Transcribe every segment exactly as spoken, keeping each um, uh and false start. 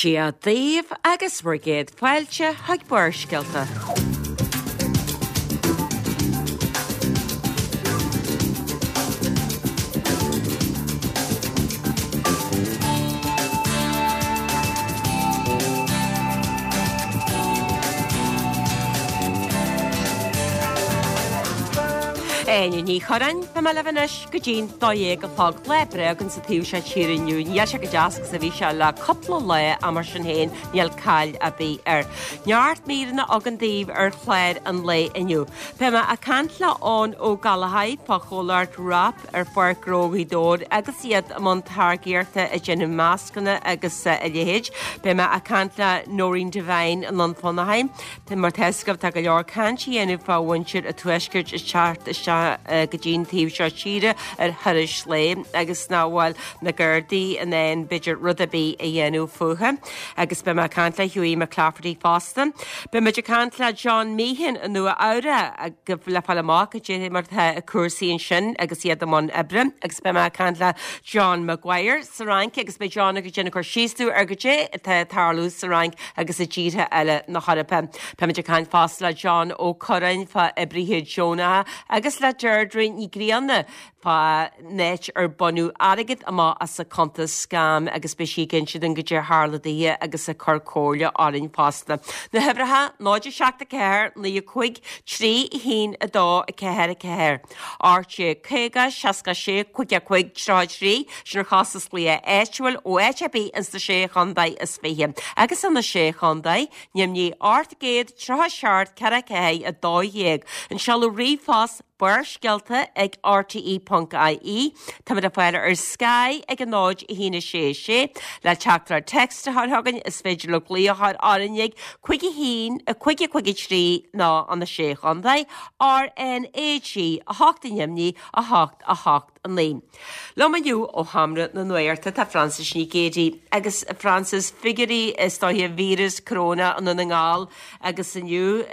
Dia daoibh agus bhur gcéad fáilte chuig Barrscéalta. Áine Ní Churráin, Beidh mé libh anois go dtí'n dó dhéag a chlog. Lá breá againn sa taobh seo tíre inniu. Níl sé chomh deas agus a bhí sé le cúpla lá ach mar sin féin níl caill ar bith air. Neart míreanna againn daoibh ar chlár an lae inniu. Beidh mé ag caint le Eoin Ó Gallchóir fá chomhlacht WRAP ar Pháirc Ghnó Ghaoth Dobhair agus iad i mbun táirgíochta ag déanamh mascanna agus a leithéid. Beidh mé ag caint le Nóirín Devine i nDún Fionnachaidh. Mar tá fhios agaibh tá go leor caint á dhéanamh fá mhuintir an tuaiscirt ag teacht isteach go dtí'n taobh seo tíre ar thurais lae agus nach bhfuil na Gardaí in ann b'fhéidir rud ar bith a dhéanamh fúthu. Agus beidh mé ag caint le Hughie McClafferty fosta. Beidh muid ag caint le John Meehan i Nua Eabhrac le fáil amach cad é mar atá cúrsaí ansin agus iad i mbun oibre. Agus beidh mé ag caint le John Maguire sa Fhrainc agus beidh John ag déanamh cur síos dúinn ar cad é atá ag tarlú sa Fhrainc agus i dtíortha eile na hEorpa. Beidh muid ag caint fosta le John Ó Curráin fá oibrithe deonacha agus le Deirdre Ní Ghrianna fá áit ar baineadh airgead amach as a cuntas scam agus beidh sí ag inse dúinn cad é a tharla daoithe agus ag cur comhairle orainn fosta. Na huimhreacha náid a seacht a ceathair naoi a cúig trí a haon a dó a ceathair a ceathair. Ocht déag caoga seasca sé cúig a cúig tríocha trí sin ar chostas glaoch áitiúil ó áit ar bith ins na sé chontae is fiche. Agus sna sé chontae, Nimhní ocht gcéad tríocha seacht ceathair ceathair a dó dhéag. An seoladh ríomhphost Barrscéalta ag rte ponc ie. Táimid le fáil ar Sky ag a náid a haon a sé a sé. Le teachtaireacht text a chur chugainn is féidir libh glaoch a chur orainn ag cúig a haon a cúig a cúig a trí nó an a sé chontae RNAG a hocht i nDoimní a hocht a hocht a naoi. Liom inniu ó Sheomra na Nuachta tá Frances Ní Ghéidigh agus Frances figiúirí is dóiche víreas corona i nDún na nGall agus inniu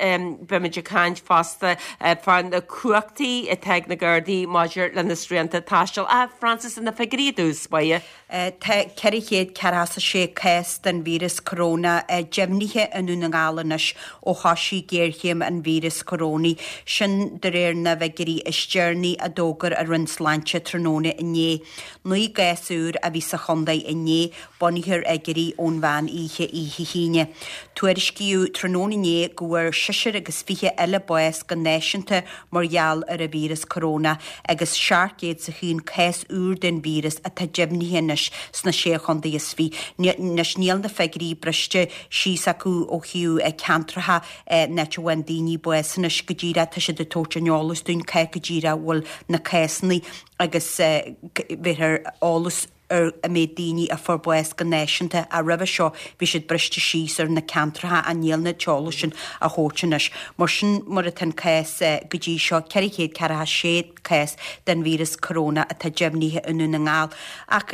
beimid ag caint fosta fá na cumhachtaí atá ag na Gardaí maidir le na srianta taistil. Ah, Frances, na figiúirí i dtús báire. Tá ceithre chéad ceathracha a sé cás den víreas corona deimhnithe i nDún na nGall anois ó thosaigh géarchéim an víreas corónaigh, sin de réir na bhfigiúirí is deireanaí a d'fhógair an Roinn Sláinte tráthnóna inné. Naoi gcás úr a bhí sa chontae inné, bunaithe ar fhigiúirí ón mheán oíche oíche hAoine. Tuairiscíodh tráthnóna inné go bhfuair seisear agus fiche eile bás go náisiúnta mar gheall ar an víreas coróna agus seacht gcéad is a haon cás úr den víreas atá deimhnithe anois sna sé chontae is fiche. Anois níl na figiúirí briste síos acu ó thaobh ceantracha an áit a bhfaigheann daoine bás anois go díreach tá siad ag tabhairt an eolas dúinn cá go díreach a bhfuil na cásanna agus bheifear eolas ar an méid daoine a fuair bás go náisiúnta ach roimhe seo bhí siad briste síos ar na ceantracha ach níl na t-eolas sin á thabhairt anois. Mar sin mar atá an cás go dtí seo ceithre chéad ceathracha sé cás den víreas coróna atá deimhnithe i nDún na nGall. Ach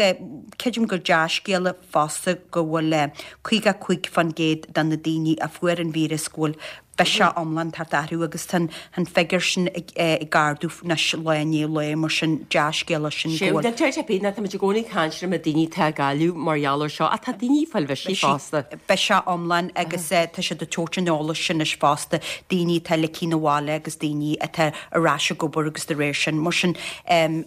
creidim gur dea-scéala fosta go bhfuil caoga cúig faoin gcéad de na daoine a fuair an víreas go bhfuil biseach iomlán tagtha orthu agus tá an figiúr sin ag ardú anois lá i ndiaidh lae mar sin dea-scéala sin go bhfuil. Deir sé féin tá muid i gcónaí ag caint ar na daoine atá ag cailleadh mar gheall air seo ach tá daoine ag fáil bisigh fosta. Biseach iomlán agus tá siad ag tabhairt an eolais sin anois fosta, daoine atá ligthe 'na bhaile agus daoine atá ar ais ag obair agus de réir sin. Mar sin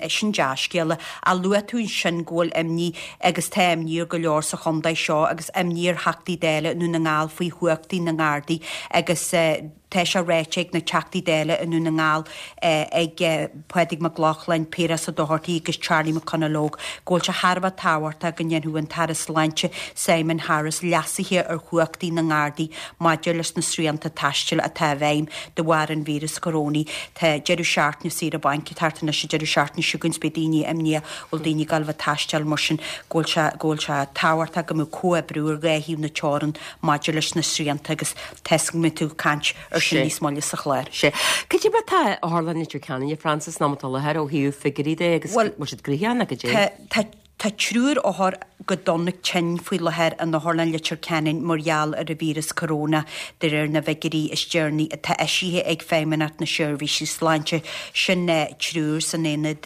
sin dea-scéala. Ach luaigh tú ansin go bhfuil imní agus tá imní ar go leor sa chontae seo agus imní ar Theachtaí Dála i nDún na nGall faoi chumhachtaí na nGardaí agus tá sé ráite ag na Teachtaí Dála i nDún na nGall, ag Pádraig Mac Lochlainn, Piaras Ó Dochartaigh agus Charlie McConalogue, go bhfuil sé thar a bheith tábhachtach go ndéanfadh an tAire Sláinte Simon Harris leasuithe ar chumhachtaí na nGardaí maidir leis na srianta taistil atá i bhfeidhm de bharr an víreas corónaigh. Tá deireadh seachtaine saoire bainc ag teacht anois an deireadh seachtaine seo chugainn is beidh daoine imníoch bhfuil daoine ag gabháil a bheith ag taisteal mar sin go bhfuil sé go bhfuil sé tábhachtach go mbeadh comhoibriú ar dhá thaobh na teorann maidir leis na srianta agus tá 'fhios agam go mbeidh tú ag caint ar sin níos moille sa chlár. Sea. Cad é mar atá Otharlann Leitir Ceanainn, a Frances, an am atá i láthair ó thaobh figiúirí de agus bhfuil siad gnoitheach nó cad é? Tá Tá triúr othar go dona tinn faoi láthair in Otharlann Leitir Ceanainn mar gheall ar an víreas coróna, de réir na bhfigiúirí is deireanaí atá eisithe ag Feidhmeannacht na Seirbhíse Sláinte, sin triúr san aonad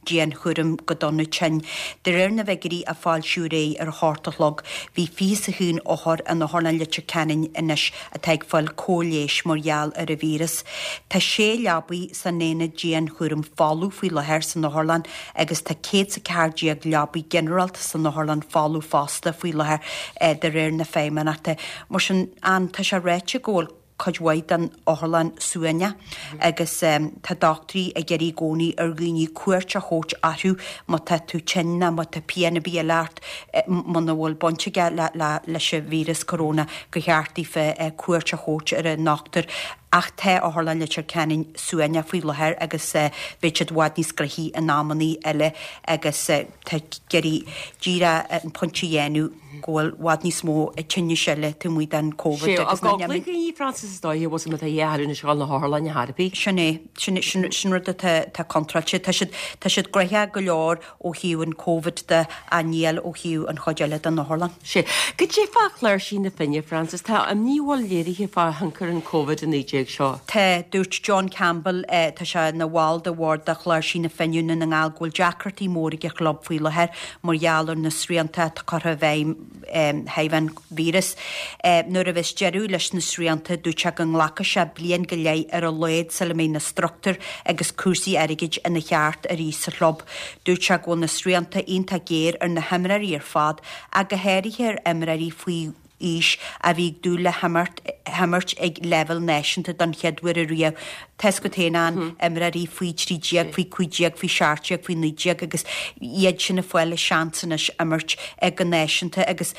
dianchúraim go dona tinn. De réir na bhfigiúirí a foilsíodh aréir ar a hocht a chlog, bhí fiche is a haon othar in Otharlann Leitir Ceanainn anois atá ag fáil cóir leighis mar gheall ar an víreas. Tá sé leabaidh san aonad dianchúraim folamh faoi láthair san otharlann agus tá céad is a ceathair déag leabaidh ginearálta san otharlann folamh fosta faoi láthair de réir na Feidhmeannachta. Mar sin, an, tá sé ráite go bhfuil cuid mhaith den otharlann suaimhneach agus tá dochtúirí ag iarraidh i gcónaí ar dhaoine cuairt a thabhairt orthu má tá tú tinn nó má tá pian ar bith eile ort muna bhfuil baint aige leis an víreas coróna gur cheart daofa cuairt a thabhairt ar an ndochtúir ach tá Otharlann Leitir Ceanainn suaimhneach faoi láthair agus beidh siad i bhfad níos gnoithí in amannaí eile agus tá ag iarraidh díreach an pointe a dhéanamh go bhfuil i bhfad níos mó tinnis eile taobh amuigh den Covid agus na Ag daoine Frances is dóiche bhfuil má tá dhá athrú na scoil na hotharlainne thar bith. Sin é, sin sin sin rud atá atá contráilte. Tá siad tá siad gnoitheach go leor ó thaobh an Covid de ach níl ó thaobh an chuid eile den otharlann. Sea. Goidé fá chláirsigh na Finne, Frances, tá imní bhfuil léirithe fá thionchar an Covid a naoi déag seo. Tá, dúirt John Campbell, tá sé ina bhall de bhord de Chláirsigh na Finne i nDún na nGall, go bhfuil deacrachtaí móra ag an chlub faoi láthair mar gheall ar na srianta atá curtha i bhfeidhm thaobh an víreas. Nuair a bheas deireadh leis na srianta, dúirt sé go nglacfaidh sé bliain go leith ar a laghad sula mbeidh na struchtúir agus cúrsaí airgid ina cheart arís sa chlub. Dúirt sé go bhfuil na srianta iontach géar ar na himreoirí ar fad ach go háirithe ar imreoirí faoi aois a bhí ag dúil le himirt himirt ag leibhéal náisiúnta don chéad uair ariamh. Tá's agat féin an imreoirí faoi trí déag, faoi cúig déag, faoi seacht déag, faoi naoi déag agus iad sin ag fáil a seans anois imirt go náisiúnta agus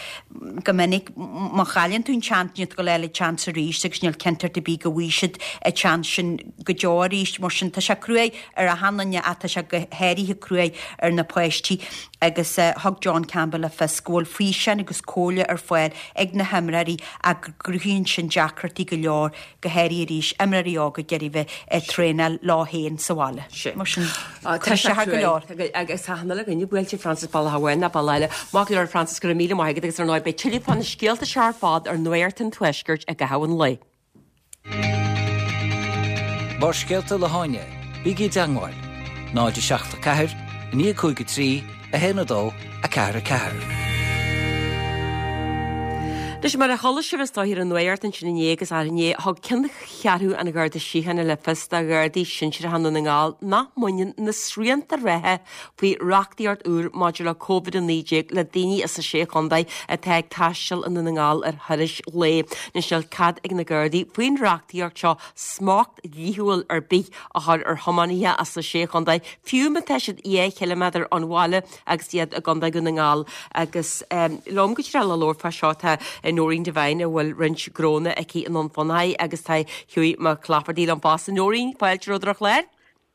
go minic má chailleann tú an seans níl tú ag gabháil a fháil an seans arís agus níl cinnteacht ar bith go bhfaighidh siad an seans sin go deo arís. Mar sin tá sé cruaidh ar achan duine ach tá sé go háirithe cruaidh ar na páistí agus thug John Campbell le fios go bhfuil físeáin agus comhairle ar fáil ag na himreoirí ach go gcruthaíonn sin deacrachtaí go leor, go háirithe arís, imreoirí óga ag iarraidh bheith ag traenáil leo féin sa bhaile. Mar sin, tá sé go leor. Agus tá achan uile dhuine buailte, Frances, bealach amháin nó bealach eile. Maith go leor, Frances, go raibh míle maith agat agus ar ndóigh beidh tuilleadh fá na scéalta seo ar fad ar Nuacht an Tuaiscirt i gcaitheamh an lae. Barrscéalta le hÁine, bígí i dteangmháil, náid a seacht a ceathair, a naoi a cúig a trí, a haon a dó, a ceathair a ceathair. Anois mar a chuala sibh is dóigh ar an nuacht ansin inné agus arú inné, thug Ceanncheathrú an Gharda Síochána le fios do Ghardaí Sinsearacha Dhún na nGall nach mbaineann na srianta reatha faoi reachtaíocht úr maidir le Covid a naoi déag le daoine as na Sé Chontae atá ag taisteal i nDún na nGall ar thurais lae. Anois níl cead ag na Gardaí faoin reachtaíocht seo smacht dlíthiúil ar bith a chur ar thiománaithe as na Sé Chontae, fiú má tá siad dhá chiliméadar ón bhaile agus iad i gContae Dhún na nGall. Agus liom go díreach le labhairt fá seo tá Noreen Devine a bhfuil roinnt gnónna aici i nDún Fionnachaidh agus tá Hughie Mac Laifeartaigh liom fosta. Noreen, fáilte romhat ar an chlár.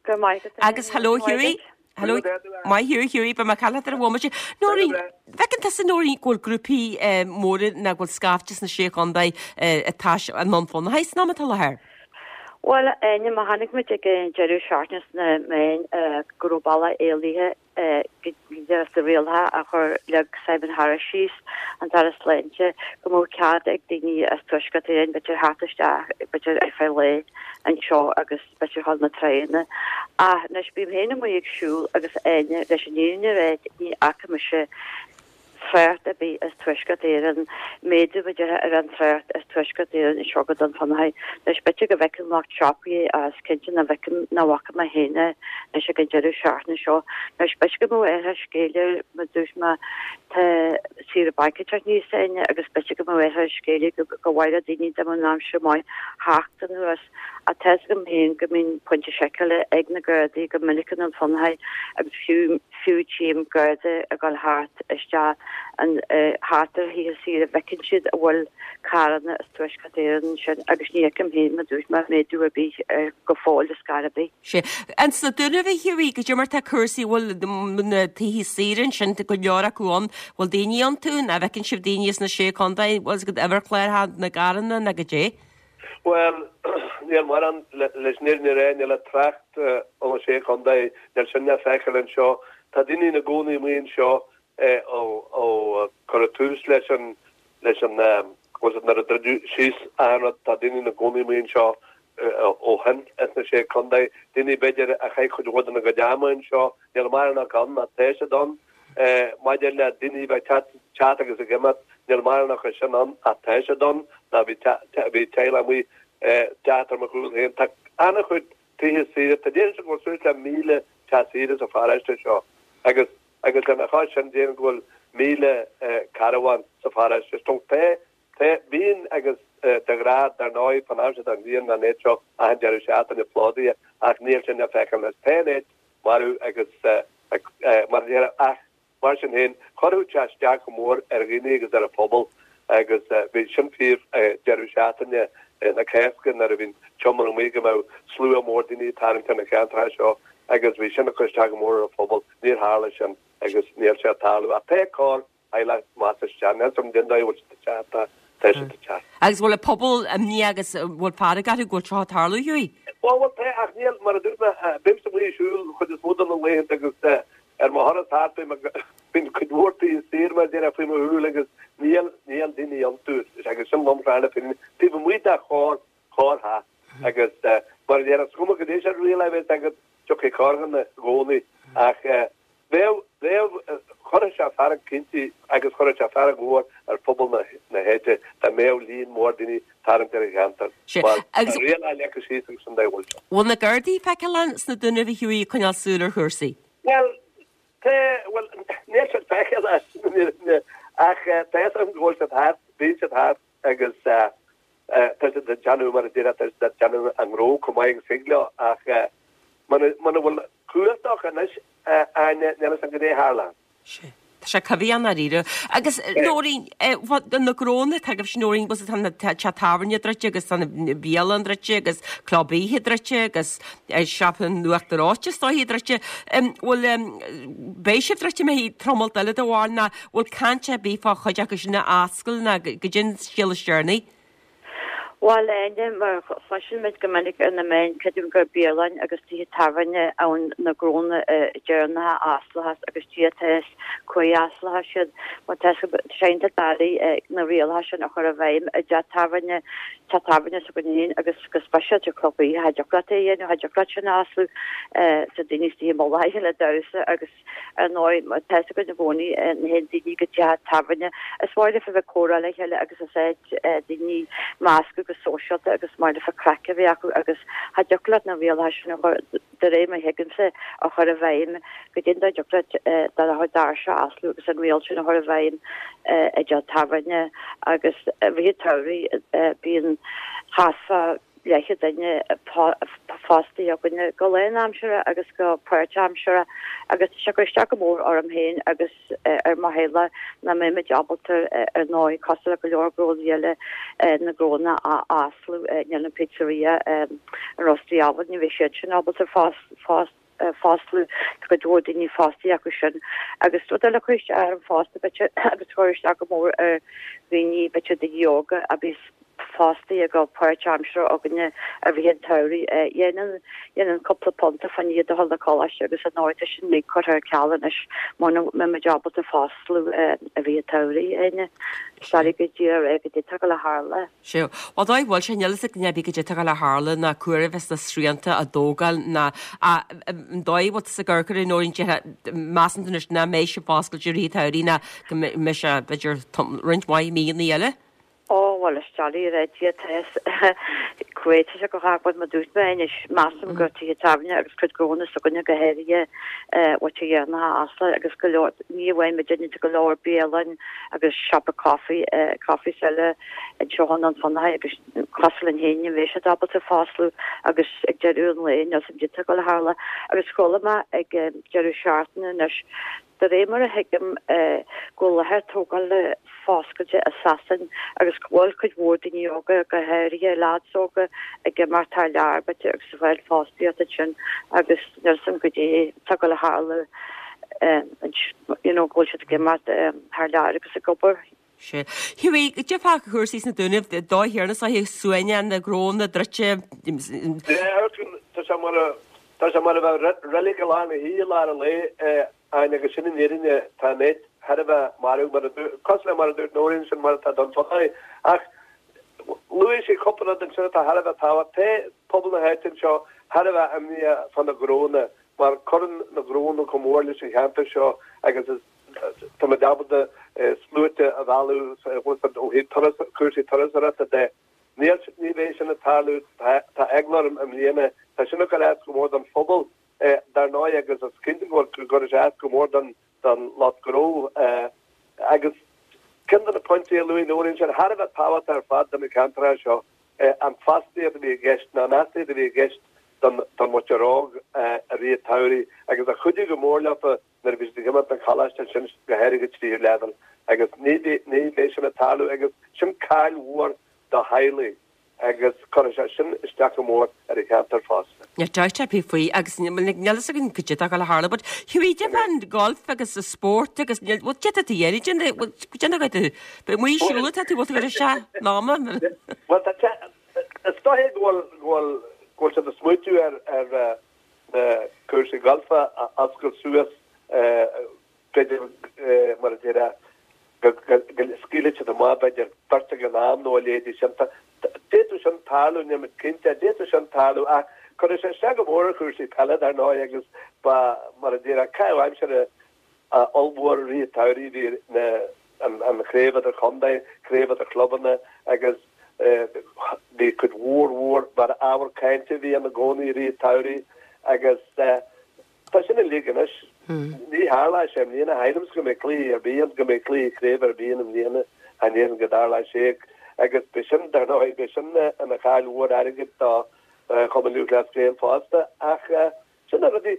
Go maith agat. Agus hello Hughie. Hello. Maith thú Hughie, beidh mé ag cailleadh ar an bhomaite. Noreen, bhfeiceann tusa Noreen go bhfuil grúpaí móra nó go bhfuil scaifte sna Sé Chontae ag taisteal i nDún Fionnachaidh san am atá i láthair? Bhuel, a Áine, má chonaic muid ag an deireadh seachtaine sna meáin go raibh bealach éalaithe de na rialacha a chuir leag Simon Harris síos, an tAire Sláinte, go mbeadh cead ag daoine as Tuaisceart Éireann b'fhéidir theacht isteach b'fhéidir ar feadh lae anseo agus b'fhéidir dhul na tránna. Ach anois bím féin amuigh ag siúl agus a Áine, leis an fhírinne a rá ní fhaca mise trácht ar bith as Tuaisceart Éireann, méadú b'fhéidir ar an trácht as Tuaisceart Éireann anseo go Dún Fionnachaidh. Anois b'fhéidir go bhfeiceann lucht siopaí é ach is cinnte nach bhfeicim, nach bhfaca mé féin é anois ag an deireadh seachtaine seo. Anois b'fhéidir go mbeadh orthu scéal ar mar dúirt mé tá saoire bainc ag teacht aníos a Áine agus b'fhéidir go mbeadh orthu scéal go mhaith le daoine dá mbeadh an aimsir maith theacht anuas. Ach tá's agam féin go mbíonn pointe seiceála ag na Gardaí go minic i nDún Fionnachaidh agus fiú fiú tchím Garda ag dul thart isteach an thart ar thithe saoire bhfeiceann siad a bhfuil carranna as Tuaisceart Éireann ansin agus ní fheicim féin mar dúirt mé méadú ar bith ar go fóill ar scor ar bith. Sea. Ins na Dúnaibh a Hughie, goidé mar tá cúrsaí, bhfuil na tithe saoire ansin, tá go leor acu ann, bhfuil daoine iontu, nó an bhfeiceann sibh daoine as na Sé Chontae, bhfuil a fhios agat uimhir chláraithe na gcarranna nó goidé? Bhuel, níl mórán, leis an fhírinne a rá, níl ach trácht ó na Sé Chontae, níl sin le feiceáil anseo. Tá daoine ina gcónaí amuigh anseo, ó ó cuireadh tús leis an leis an was it nuair a druideadh síos an rud tá daoine ina gcónaí amuigh anseo ó shin ins na sé contae daoine b'fhéidir a chaith cuid mhór dena gcuid ama anseo níl mórán acu ann ach tá siad ann maidir le daoine a bheith ag teacht agus ag imeacht níl mórán acu sin ann ach tá siad ann ná bhí bhí teaghlach amuigh teacht ar mo chúl féin tá an-chuid tithe saoire tá déarfainn go bhfuil suas le míle teach saoire sa pharóiste seo agus agus lena chois sin déarfainn go bhfuil míle carbhán sa pharóiste so tá tá bíonn agus de ghnáth dar ndóigh fan aimsir den bhliain an áit seo achan deireadh seachtaine plódaithe ach níl sin le feiceáil anois. Tá an áit marbh agus mar a déarfá ach mar sin féin chuirfeadh sé isteach go mór ar dhaoine agus ar an phobal agus bhí sin fíor deireadh seachtaine na Cásca nuair a bhí an tionchar amuigh go mbeadh slua mór daoine ag tarraingt ar na ceantracha seo agus bhí sin ag cur isteach go mór ar an phobal. Níor tharla sin agus níl sé ag tarlú ach tá corr theaghlach measa isteach. Níl 's agam cén dóigh a bhfuil siad ag teacht ach tá siad ag teacht. Agus bhfuil an pobal imníoch agus bhfuil fearg orthu go bhfuil seo ag tarlú, Hughie? Bhuel, bhuel, tá ach níl, mar a dúirt mé, bímse amuigh ag siúl an chuid is mó de na laethanta agus ar mo thuras thart bím ag, bíonn cuid mhór tithe saoire mar a déarfá faoi mo shúil agus níl, níl daoine iontu agus sin lomchlár na fírinne taobh amuigh de chorr, chorrtheach agus mar a déarfá is cuma goidé an riail a bheas agat tiocfaidh corrdhuine i gcónaí ach bheadh, bheadh, chuirfeadh sé fearg cinnte agus chuirfeadh sé fearg mhór ar phobal na, na háite dá mbeadh líon mór daoine ag tarraingt ar an cheantar Sea, mar agus. tá riail leagtha síos agus sin dóigh a bhfuil sé. Bhfuil na Gardaí le feiceáil sna Dúnaibh a Hughie ag coinneáil súil ar chúrsaí? Bhuel, tá, bhuel, níl siad le feiceáil ach tá fhios agam go bhfuil siad thart, bíonn siad thart agus tá siad ag déanamh mar a déarfá, tá siad ag déanamh a ngnó chomh maith agus thig leo ach muna bhfuil cumhacht acu anois, Áine, níl fhios agam goidé a tharla. Sea. Tá sé coimhthíoch i ndáiríre. Agus Nóirín, na gnónna atá agaibhse Nóirín, bhfuil tá na teach tábhairne druidte agus tá na bialann druidte agus club oíche druidte agus siopa an Uachtar Reoite is dóiche druidte. Bhfuil, beidh sibh druidte mé tamall eile de bharr ná bhfuil caint ar bith fá chuid acu sin a oscailt ná goidé an scéal is deireanaí? Bhuel, a Áine, mar a chloiseann muid go minic ar na meáin, creidim gur bialann agus tithe tábhairne ann na gnónna deireanacha a osclóchas agus Dia atá fhios cá huair a osclóchas siad. Mar tá sé iontach doiligh na rialacha sin a chur i bhfeidhm i dteach tábhairne, teach tábhairne s'againn féin agus go speisialta club oíche, cha dtiocfadh leat é a dhéanamh, cha dtiocfadh leat sin a osclú tá daoine istigh i mullach a chéile ag damhsa agus ar ndóigh tá fhios againn i gcónaí na théann daoine go teach tábhairne is maith leofa bheith ag comhrá le chéile agus is áit daoine meascadh go sóisialta agus maith leofa craic a bheith acu agus cha dtiocfadh leat na rialacha sin a chur de réir mar a thuigimse a chur i bhfeidhm go dtí dá dtiocfadh leat dá doirse a osclú agus an riail sin a chur i bhfeidhm i dteach tábhairne agus i rith an tsamhraidh bíonn thart fá leathchéad duine fostaithe againne go lánaimseartha agus go páirtaimseartha agus tá sé ag cur isteach go mór orm féin agus ar mo theaghlach nach mbeimid ábalta ar ndóigh cosúil le go leor gnónna eile na gnónna a osclú níl an pizzeria an Rusty Oven ní bheidh siad sin ábalta fosclú tá cuid mhór daoine fostaithe acu sin agus rud eile a chuir isteach orm fosta b'fhéidir agus chuir isteach go mór ar dhaoine b'fhéidir daoine óga a bhí fostaithe go páirtaimseartha againne i rith an tsamhraidh. Dhéanann dhéanann cúpla punt fá choinne iad a dhul na coláiste agus ar ndóigh tá sin uilig curtha ar ceal anois muna mbeimid ábalta fosclú i rith an tsamhraidh, Áine. Is doiligh go díreach a rá goidé atá ag dul a tharla. Sea. Bhuel dóigh bhfuil sé, níl fhios ag duine ar bith goidé atá ag dul a tharla ná cá huair a bheas na srianta á dtógáil ná an dóigh a bhfuil tusa ag amharc air a Nóirín déarfá measann tú anois nach mbeidh sibh oscailte i rith an tsamhraidh ná go mbeidh sé b'fhéidir roinnt mhaith míonna eile? Ó, bhuel, is doiligh a rá Dia atá fhios cá huair atá sé ag gabháil mar dúirt mé anois, measaim gur tithe tábhairne agus cuid gnónna s'againne go háirithe bhfuil sé dhéanach a oscailt agus go leor, ní amháin muidinne, tá go leor bialann agus siopa coffee, coffees eile anseo i nDún Fionnachaidh agus cosúil linn féin ní bheidh siad ábalta fosclú agus ag deireadh an lae níl 's a'm goidé atá ag dul a tharla agus chuala mé ag deireadh seachtaine anois De réir mar a thuigim, go bhfuil láthair tógála foscailte i Sasain agus go bhfuil cuid mhór daoine óga, go háirithe leaids óga, ag imeacht thar lear, b'fhéidir, agus ag fáil fostaíocht ansin agus níl 's a'm goidé atá ag dul a tharlú, you know, go bhfuil siad ag imeacht thar lear agus ag obair. Sea. Hughie, goidé fá chúrsaí sna Dúnaibh, dóigh thiarna sáithe suaimhneach na gnónna druidte. Tá sé mar a tá sé mar a bheadh reilig i lár na hoíche i lár an lae, Áine, agus sin an fhírinne, tá an áit thar a bheith marbh, mar a dúirt, cosúil le mar a dúirt Nóirín, sin mar atá don tsochaí. Ach luaigh sí cúpla rud ansin atá thar a bheith tábhachtach. Tá pobal na háite anseo thar a bheith imníoch fá na gnónna, mar cuireann na gnónna chomh mór leis an cheantar seo agus is táimid ábalta sluaite a mhealladh ó thaobh turas, cúrsaí turasóireachta de. Níl, ní bheidh sin ag tarlú, tá eagla orm i mbliana. Tá sin ag cur as go mór don phobal, dar ndóigh, agus is cinnte go gcuirfidh sé as go mór don lucht gnó. Agus ceann de na pointí a luaigh Nóirín sin thar a bheith tábhachtach ar fad do na ceantracha seo, an fostaíocht a bhí i gceist, nó an fhostaíocht a bhí i gceist don mhuintir óg i rith an tsamhraidh agus a chuidigh go mór leofa nuair a bhí siad ag imeacht don choláiste ansin, go háirithe tríú leibhéal. Agus ní bheidh sin ag tarlú agus sin caill mhór do theaghlaigh agus cuirfidh sé sin isteach go mór ar an cheantar fosta. Níl dabht ar bith faoi agus níl a fhios againn cad é atá ag dul a tharlú but Hughie cad é fán golf agus an spórt agus níl bhuel cad é atá tú a dhéanamh déan bhuel déan a tú beidh amuigh ag siúl atá tú bhfuil tú ag isteach ná ma Bhuel tá is dóigh go bhfuil go bhfuil go bhfuil siad ag smaoitiú ar ar na cúrsaí gailf a oscailt suas b'fhéidir mar a déarfá go scaoilfidh siad amach b'fhéidir beirt ag an am nó a leithéidí sin. D'fhéadfadh sin tarlú, níl muid cinnte, d'fhéadfadh sin tarlú ach cuirfidh sé isteach go mór ar chúrsaí peile dar ndóigh agus ba, mar a déarfá, caitheamh aimsire ollmhór i rith an tsamhraidh, bhí na, an chraobh idir chontae, craobh idir chlubanna agus bhí cuid mhór mhór mar ábhar cainte a bhí ann i gcónaí i rith an tsamhraidh agus tá sin uilig anois. Ní tharlóidh sé i mbliana, cha shílimse go mbeidh cluiche ar bith ann, go mbeidh cluiche craoibhe ar bith ann i mbliana, cha ndéarfainn go dtarlóidh sé agus beidh sin, dar ndóigh, beidh sin ina chaill mhór airgid do Chumann Lúthchleas Gael fosta ach sin na rudaí,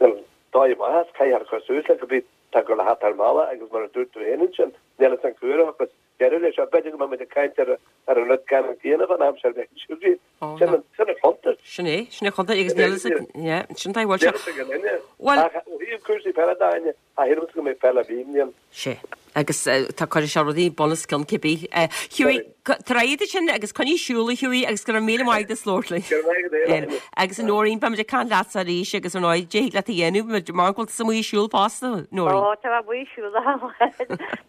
dóigh amach as, caithfear cur suas le cibé tá ag dul a theacht ar an mbealach agus mar a dúirt tú féin ansin, níl fhios againn cá huair a thiocfas deireadh leis seo. B'fhéidir go mbeidh muid ag caint ar ar an rud ceannann céanna fán am seo bheith ansin. Sin an sin an chuntas. Sin é, sin é chuntas agus níl fhios ag yeah, sin tá bhfuil sé. Níl fhios ag an duine. Bhuel Ach ó thaobh cúrsaí peile de, Áine, cha shílimse go mbeidh peil ar bith i mbliana. Sé. Agus tá cuirfidh sé rudaí bun os cionn cibé. Hughie, tar éis sin agus coinnigh ag siúl a Hughie agus go raibh míle maith agat as labhairt linn. Go raibh maith agat a Áine. Agus a Nóirín, beimid ag caint leatsa arís agus ar ndóigh, dtig leat a dhéanamh, mar go bhfuil tusa amuigh ag siúl fosta, Nóirín. Ó, tá mé amuigh ag siúl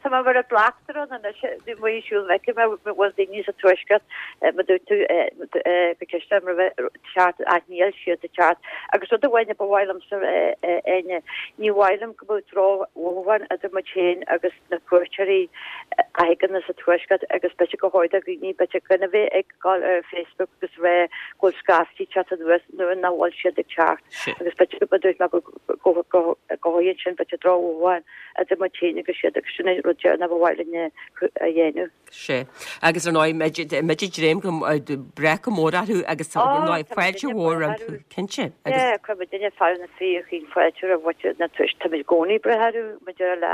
Tá mé mar an bleachtaire ann anois, amuigh ag siúl, feicim an bhfuil daoine sa tuaisceart, mar dúirt tú go ceist orm roimhe teacht ach níl siad ag teacht. Agus rud amháin a ba mhaith liomsa a Áine, ní mhaith liom go mbeadh droch-mhothúcháin idir muid féin agus na cuairteoirí a thagann as an tuaisceart agus b'fhéidir go háirithe dhaoine b'fhéidir gan a bheith ag dul ar Facebook agus rá go bhfuil scaifte ag teacht anuas nuair nach bhfuil siad ag teacht agus b'fhéidir go dúirt mé go gcothaíonn sin b'fhéidir drochmhothúcháin idir muid féin agus siad agus sin an rud deireanach ba mhaith linn a dhéanamh. Sé. Agus ar ndóigh, muid ag dréim go breith go mór orthu agus tá ar ndóigh fáilte mhór rompu, cinnte. Agus. Yeah, chuir muid duine fear na fíorchaoin fáilte roimh mhuintir na tuis, táimid i gcónaí ag breith orthu, muid ar le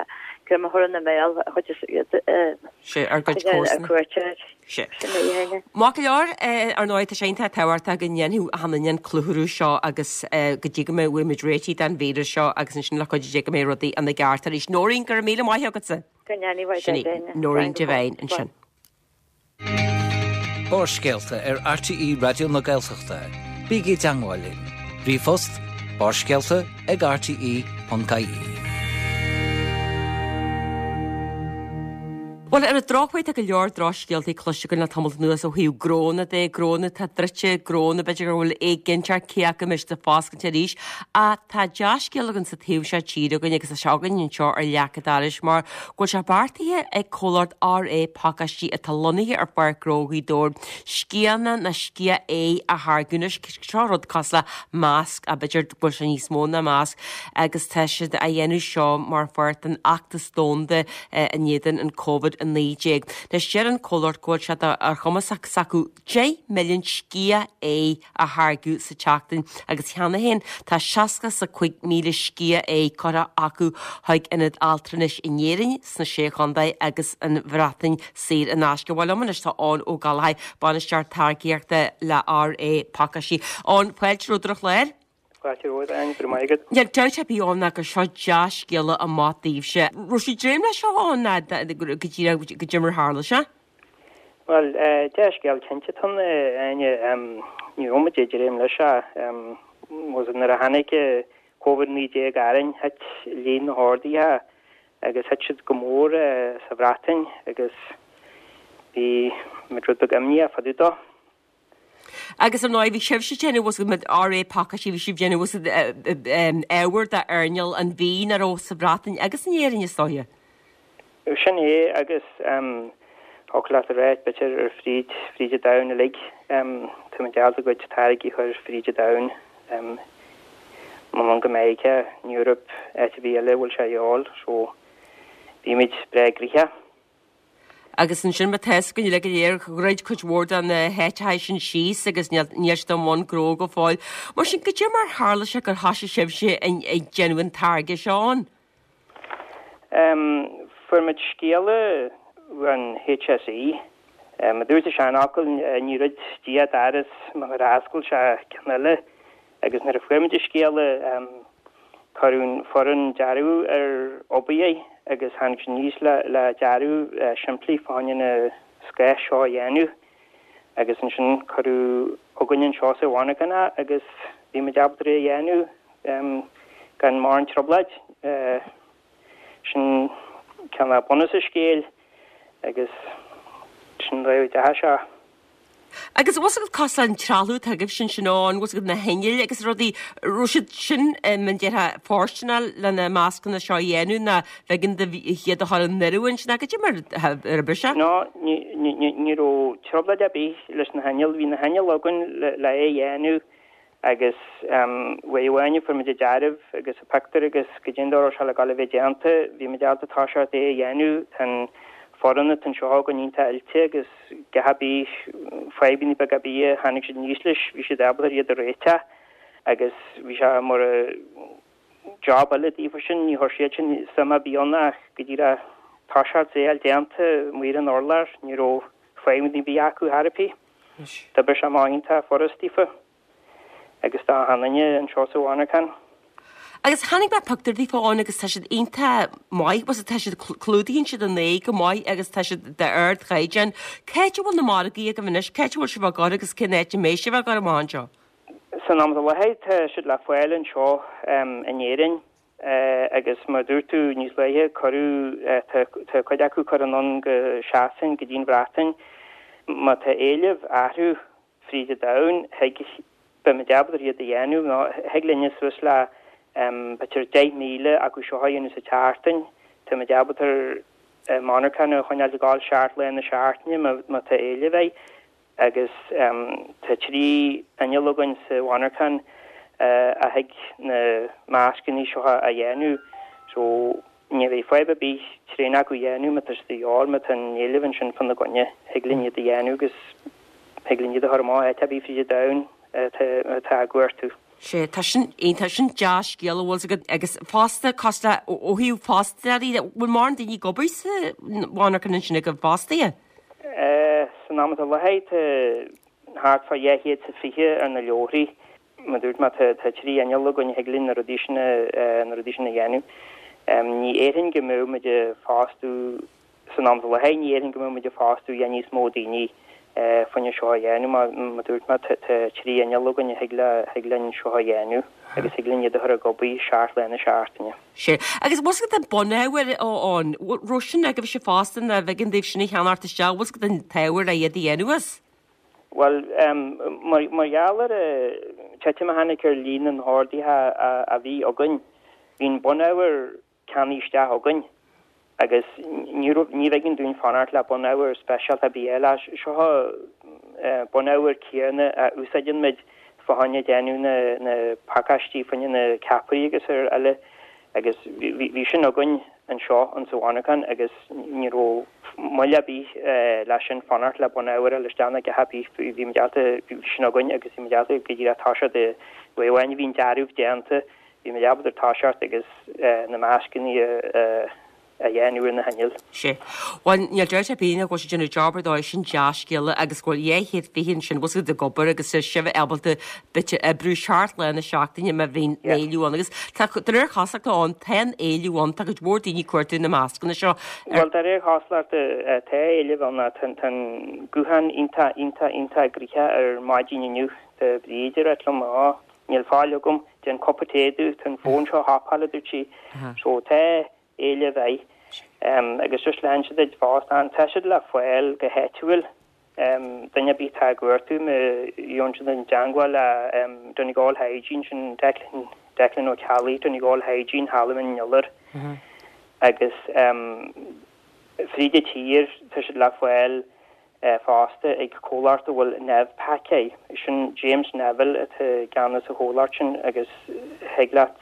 greim a chur ina mbéal a chuid is iad Sé, ár gcuid ar comharsana. cuairt. Sé. Sin é a Áine. Maith go leor, ar ndóigh, tá sé iontach tábhachtach go ndéanfadh achan duine an clutharú seo agus go dtí go mbeidh muid réitithe den víreas seo agus ansin le cuidiú Dé go mbeidh rudaí ina gceart arís. Nóirín, go raibh míle maith agatsa. Go ndéana mhaith Sin í, Dé Áine. Nóirín Slán go Devine fóill. ansin. Barrscéalta ar RTÉ Raidió na Gaeltachta. Bígí i dteagmháil linn. Ríomhphost barrscéalta ag rte ponc ie. Bhuel, ar an drochuair tá go leor drochscéaltaí cloiste againn le tamall anuas ó thaobh gnónna de, gnónna atá druidte, gnónna b'fhéidir go bhfuil éiginnteacht cé acu an mbeidh siad ag foscailt arís. Ach tá dea-scéal againn sa taobh seo tíre againn agus tá sé againn anseo ar leac an dorais mar go bhfuil sé beartaithe ag comhlacht RA Pacáistí atá lonnaithe ar Pháirc Ghnó Ghaoth Dobhair sciathanna nó sciath aghaidhe a tháirgeadh. Anois seo rud cosúil le masc ach b'fhéidir go bhfuil sé níos mó ná masc agus tá siad á dhéanamh seo mar pháirt den fheachtas domhanda in éadan an Covid a naoi déag. Anois deir an comhlacht go bhfuil sé ar chumas s'acu deich milliún sciath aghaidhe a tháirgeadh sa tseachtain agus cheana féin tá seasca is a cúig míle sciath aghaidhe curtha acu chuig ionaid altranais in Éirinn, sna Sé Chontae agus an Bhreatain saor in aisce. Bhuel liom anois tá Eoin Ó Gallchóir, Bainisteoir Táirgíochta le RA Pacáistí. Eoin, fáilte romhat ar an chlár. Fáilte romhat, Áine, go raibh maith agat. Níl dabht ar bith ann ná gur seo dea-scéala amach daoibhse. Raibh sibh ag dréim leis seo ann ná go díreach goidé mar a tharla sé? Bhuel, dea-scéal cinnte atá ann, Áine. Ní raibh muid ag dréim leis seo. Nuair a tháinig Covid naoi déag orainn, thit líon na horduithe agus thit siad go mór sa Bhreatain agus bhí muid rud beag imníoch fá dtaobh dó. Agus ar ndóigh bhí sibhse ag déanamh bhfuil a fhios agat R A pacáistí bhí sibh ag déanamh bhfuil a fhios agat ábhar d'earnáil an bhídh nach raibh sa Bhreatain agus in Éirinn is dóiche. Sin é agus thiocfadh leat a rá b'fhéidir ar fríd fríd an domhan uilig. Tá muid ábalta ár gcuid táirgí a chur fríd an domhan anonn go Meiriceá, an Eoraip, áit ar bith eile a bhfuil sé a dhíobháil so bímid breá gnoitheach. Agus ansin má tá fhios againn uilig go léir dhruid cuid mhór de na háiteacha sin síos agus níl níl siad i mbun gnó go fóill. Mar sin goidé mar tharla sé gur thosaigh sibhse ag déanamh an táirge seo ann? Fuair muid scéala ón H S E. Mar a dúirt an seanfhocal ní dhruid Dia doras mar gur oscail sé ceann eile agus nuair a fuair muid an scéala cuireadh an foireann dearaidh ar obair é agus tháinig siad aníos le le dearadh simplí fá choinne na scáth seo a dhéanamh agus ansin cuireadh chugainn anseo sa mhonarchan é agus bhí muid ábalta é a dhéanamh gan mórán trioblóid. Sin cineál bunús an scéil agus sin an dóigh a dteachaigh sé. Agus bhfuil fhios agat cosúil an trealamh atá agaibh sin sin ann, bhfuil fhios agat na hinnill agus rudaí, raibh siad sin mar a déarfá fóirsteanach le na mascanna seo a dhéanamh nó b'éigean daoibh iad a chur in oiriúint nó goidé mar a oibrigh sé? No, ní ní ní raibh trioblóid ar bith leis na hinnill, bhí na hinnill againn le le é a dhéanamh agus uair amháin a fuair muid an dearadh agus an pictiúr agus goidé an dóigh a raibh sé le gabháil a bheith déanta, bhí muid ábalta toiseacht é a dhéanamh, tá an foireann atá anseo againn iontach oilte agus gach ar bith fadhbanna beaga ar bith a tháinig siad aníos leis, bhí siad ábalta iad a réiteach agus bhí sé mar job eile daofa sin, ní chuir siad sin suim ar bith ann ach go díreach toiseacht é a fháil déanta amuigh ar an urlár, ní raibh fadhbanna ar bith acu chor ar bith. D'oibrigh sé amach iontach furast daofa agus do achan duine anseo sa mhonarchan. Agus chonaic mé pictiúr daofa ann agus tá siad iontach maith, bhfuil tá siad clúdaíonn siad an aghaidh go maith agus tá siad d'ardchaighdeán. Cá háit a bhfuil na margaí agaibh anois, cá háit a bhfuil sibh á gcur agus cén áit a mbeidh sibh á gcur amach anseo? San am i láthair tá siad le fáil anseo in Éirinn agus mar a dúirt tú níos luaithe cuireadh tá cuid acu curtha anonn go Sasain go dtí an Bhreatain. Má tá éileamh orthu fríd an domhan thig beimid ábalta iad a dhéanamh nó thig linne suas le b'fhéidir deich míle acu seo a dhéanamh sa tseachtain. Táimid ábalta monarchan a choinneáil ag gabháil seacht lá na seachtaine má tá éileamh air agus tá trí inneall againn sa mhonarchan a thig na mascanna seo a dhéanamh so ní bheidh fadhb ar bith tréan acu a dhéanamh má tá siad de dhíobháil má tá an éileamh ansin fána gcoinne thig linn iad a dhéanamh agus thig linn iad a chur amach áit ar bith fríd an domhan atá á gcuartú. Sé tá sin tá sin dea-scéal a bhfuil agat agus fosta cosúil ó thaobh fostóirí bhfuil mórán daoine ag obair sa mhonarchan ansin agaibh fostaithe? San am atá i láthair tá thart fá dhá chéad is fiche ar na leoraí. Mar dúirt mé tá trí inneall againn a thig linn na rudaí sin na rudaí sin a dhéanamh. Ní déarfainn go mbeidh muid ag fostú san am atá i láthair ní déarfainn go mbeidh muid ag fostú a níos mó daoine fá choinne seo a dhéanamh mar dúirt mé tá trí inneall againn a thig le thig linn seo a dhéanamh agus thig linn iad a chur ag obair seacht lá na seachtaine. Sé agus bhfuil agat an bunábhar ann raibh sin agaibh sé fosta nó b'éigean daoibh sin a cheannacht isteach bhfuil agat an t-ábhar a iad a dhéanamh as? Well mar mar gheall ar titim a tháinig ar líon na n-orduithe a bhí againn, bhí an bunábhar ceannaithe isteach againn agus ní ní b'éigean dúinn fanacht le bunábhar speisialta ar bith eile seo bunábhar céanna a úsáideann muid fá choinne déanamh na na pacáistí fá choinne na ceapairí agus ar eile agus bhí sin againn anseo an sa mhonarchan agus ní raibh moill ar bith leis sin fanacht le bunábhar eile isteach na go bhí bhí ábalta bhí sin againn agus bhí ábalta go dtí tá de bháin bhín dearúh déanta bhí mé ábalta toiseacht agus na mascanna a dhéanamh ar na hinnill. Sé. Well níl deir bí go bhfuil déanamh job ar dóigh sin dea-scéala agus go bhfuil dhá chéad fiche ansin bhfuil siad ag obair agus sibh ábalta b'fhéidir oibriú seacht lá na seachtaine má bhíonn éileamh ann agus tá de réir cosúlachta ann tá an éileamh ann tá cuid mhór daoine ag cuartú na mascanna seo. Well de réir cosúlachta tá éileamh ann tá an guthán iontach iontach iontach gnoitheach ar maidin inniu tá Bríd ag rá liom á níl fáil agam déan cupa tae domh tá an fón seo thapáil dúirt sí so tá éileamh air agus just lean siad ag fás. Tá siad le fáil go háitiúil, duine ar bith atá ag cuartú má gheobhann siad i dteangmháil le Donegal Hygiene, sin Declan, Declan Ó Ceallaigh, Donegal Hygiene, thall i mBinn Iolair agus fríd an tír tá siad le fáil fosta ag comhlacht a bhfuil Nevpak air. Sin James Neville atá i gceannas sa chomhlacht sin agus thig leat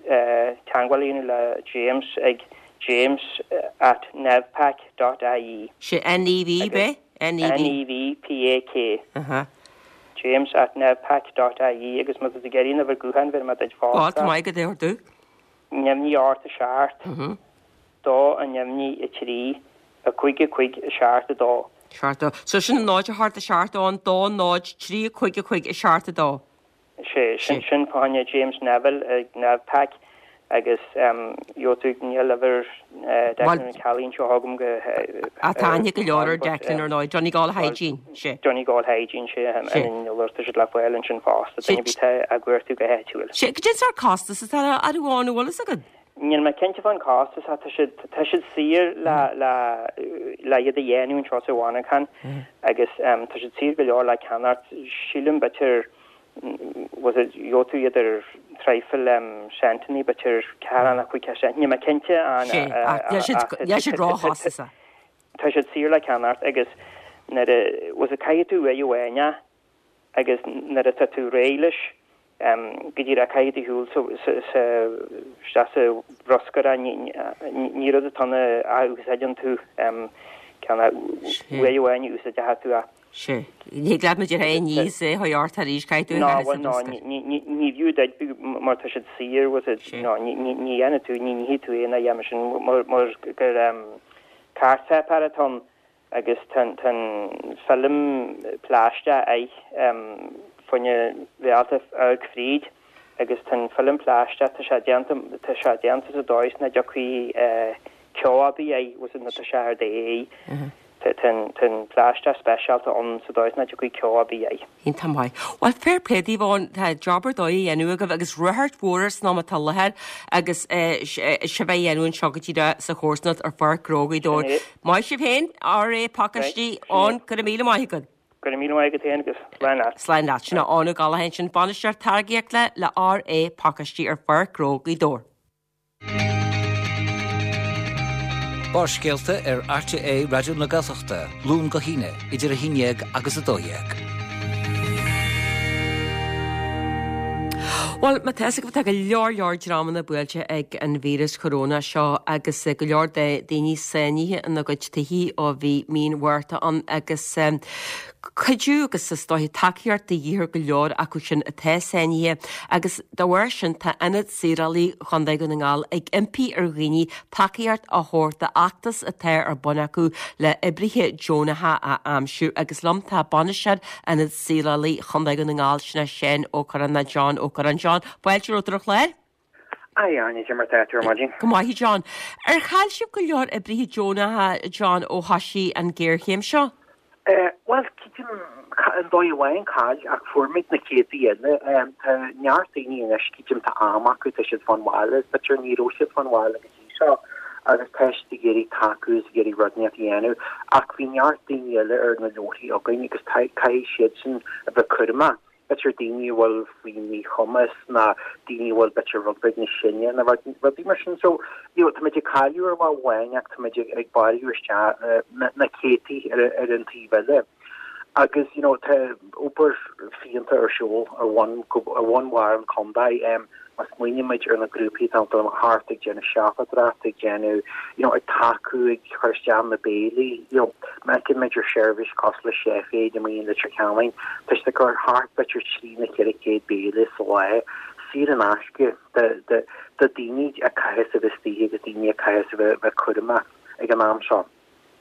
teagmháil a dhéanamh le James ag james at nevpak dot ie. Sé N-E-V, b'é? N-E-V. N-E-V-P-A-K. James at nevpak dot ie agus má tá tú ag iarraidh an uimhir gutháin bhéarfaidh mé duit fosta. Ó, tá maith agat é a ordú. Neamhní a hocht a seacht, dó a neamhní a trí, a cúig a cúig a seacht a dó. Seacht a dó. So sin náid a hocht a seacht ann, dó náid trí a cúig a cúig a seacht a dó. Sé, sin sin fá choinne James Neville ag Nevpak agus gheobhaidh tú níl uimhir Declan Ó Ceallaigh anseo agam go Ah tá aithne go leor ar Declan ar ndóigh, Donegal Hygiene, sé. Donegal Hygiene, sé, i mBinn Iolair tá siad le fáil ansin fosta, duine ar bith atá á gcuartú go háitiúil. Sé, goidé an sórt costas atá orthu an bhfuil fhios agat? Níl mé cinnte fán costas ach tá siad, tá siad saor le, le, le iad a dhéanamh anseo sa mhonarchan agus tá siad saor go leor le ceannacht. Sílim b'fhéidir, was it, gheobhaidh tú iad ar traidhfil centannaí, b'fhéidir ceathair anna, cúig cent, níl mé cinnte an, Sé, ach níl siad, níl siad róchostasach. Tá siad saor le ceannacht agus nuair a, was it, caithfidh tú uair amháin é agus nuair atá tú réidh leis, go díreach caithfidh tú shiúl isteach sa bhruscar é, ní rud atá ann a úsáideann tú ceann uair amháin a úsáidfidh tú é. Sé. Ní thig leat muid ar aon ní is é a ort arís, caithfidh tú a chaitheamh sa bhruscar. Ná, ní fiú duit mar tá siad saor, was it, ná, ní dhéanfaidh tú, ní nífidh tú aon a dhéanamh sin mar gur cairtpháipéar atá ann. Agus tá an film plaisteach air fá choinne bheith ábalta amharc fríd agus tá an film plaisteach, tá sé déanta, tá sé déanta sa dóigh is nach dtiocfaidh ceo ar bith air, bhfuil fhios agat, nuair tá sé ar d'aghaidh. Tá an plaisteach speisialta ann sa dóigh is nach dtiocfaidh ceo ar bith air. Iontach maith. Bhuel, fair play daoibh Eoin, tá job ar dóigh á dhéanamh agaibh agus ráchairt mhór air san am atá i láthair agus sibh á dhéanamh anseo go díreach sa chomharsanacht ar Pháirc Ghnó Ghaoth Dobhair. Maith sibh féin, RA Pacáistí, Eoin, go raibh míle maith agat. Go raibh míle maith agat féin agus slán leat. Slán leat. Sin é Eoin Ó Gallchóir ansin, Bainisteoir Táirgíochta le RA Pacáistí ar Pháirc Ghnó Ghaoth Dobhair. Barrscéalta ar RTÉ Raidió na Gaeltachta, Luan go hAoine, idir a haon dhéag agus a dó dhéag. Bhuel, má tá fhios agaibh, tá go leor leor dreamanna buailte ag an víreas choróna seo agus go leor de daoine sáinnithe ina gcuid tithe ó bhí mí an Mhárta ann agus cuidiú agus is dóiche tacaíocht de dhíth ar go leor acu sin atá sáinnithe agus dá bharr sin tá Ionad Saorálaí Chontae Dhún na nGall ag impí ar dhaoine tacaíocht a thabhairt d'fheachtas atá ar bun acu le oibrithe deonacha a aimsiú agus liom tá bainisteoir Ionad Saorálaí Chontae Dhún na nGall sin é Seán Ó Curráin nó John Ó Curráin. John, fáilte romhat ar an chlár. A Áine, cad é mar tá tú ar maidin. Go maith, John. Ar chaill sibh go leor oibrithe deonacha, John, ó thoisigh an ghéarchéim seo? Bhuel, creidim, ar ndóigh amháin chaill, ach fuair muid na céadtaí eile. Tá neart daoine anois, creidim, tá am acu, tá siad fán bhaile, b'fhéidir ní raibh siad fán bhaile go dtí seo, agus tá siad ag iarraidh tacú is ag iarraidh rud inteacht a dhéanamh. Ach bhí neart daoine eile ar na leabharthaí againn agus caithfidh siadsan a bheith cúramach. B'fhéidir daoine a bhfuil faoi mhíchumas ná daoine a bhfuil b'fhéidir rud beag níos sine ná rudaí mar sin. So, you know, táimid ag cailleadh ar bhealach amháin ach táimid ag bailiú isteach na céadtaí ar ar an taobh eile. Agus, you know, tá obair fiúntach ar siúl ar bhonn ar bhonn bharr an chontae. Má smaoinímid ar na grúpaí atá thart ag déanamh siopadóireacht, ag déanamh, you know, ag tacú, ag cur isteach na béilí, you know, má fheicimid ar seirbhís cosúil le Chef Aid amuigh in Leitir Ceanainn, tá siad ag cur thart b'fhéidir trí nó ceithre chéad béile sa lá, saor in aisce do, do, do daoine a chaithfeas a bheith istigh agus daoine a chaithfeas a bheith, bheith cúramach ag an am seo.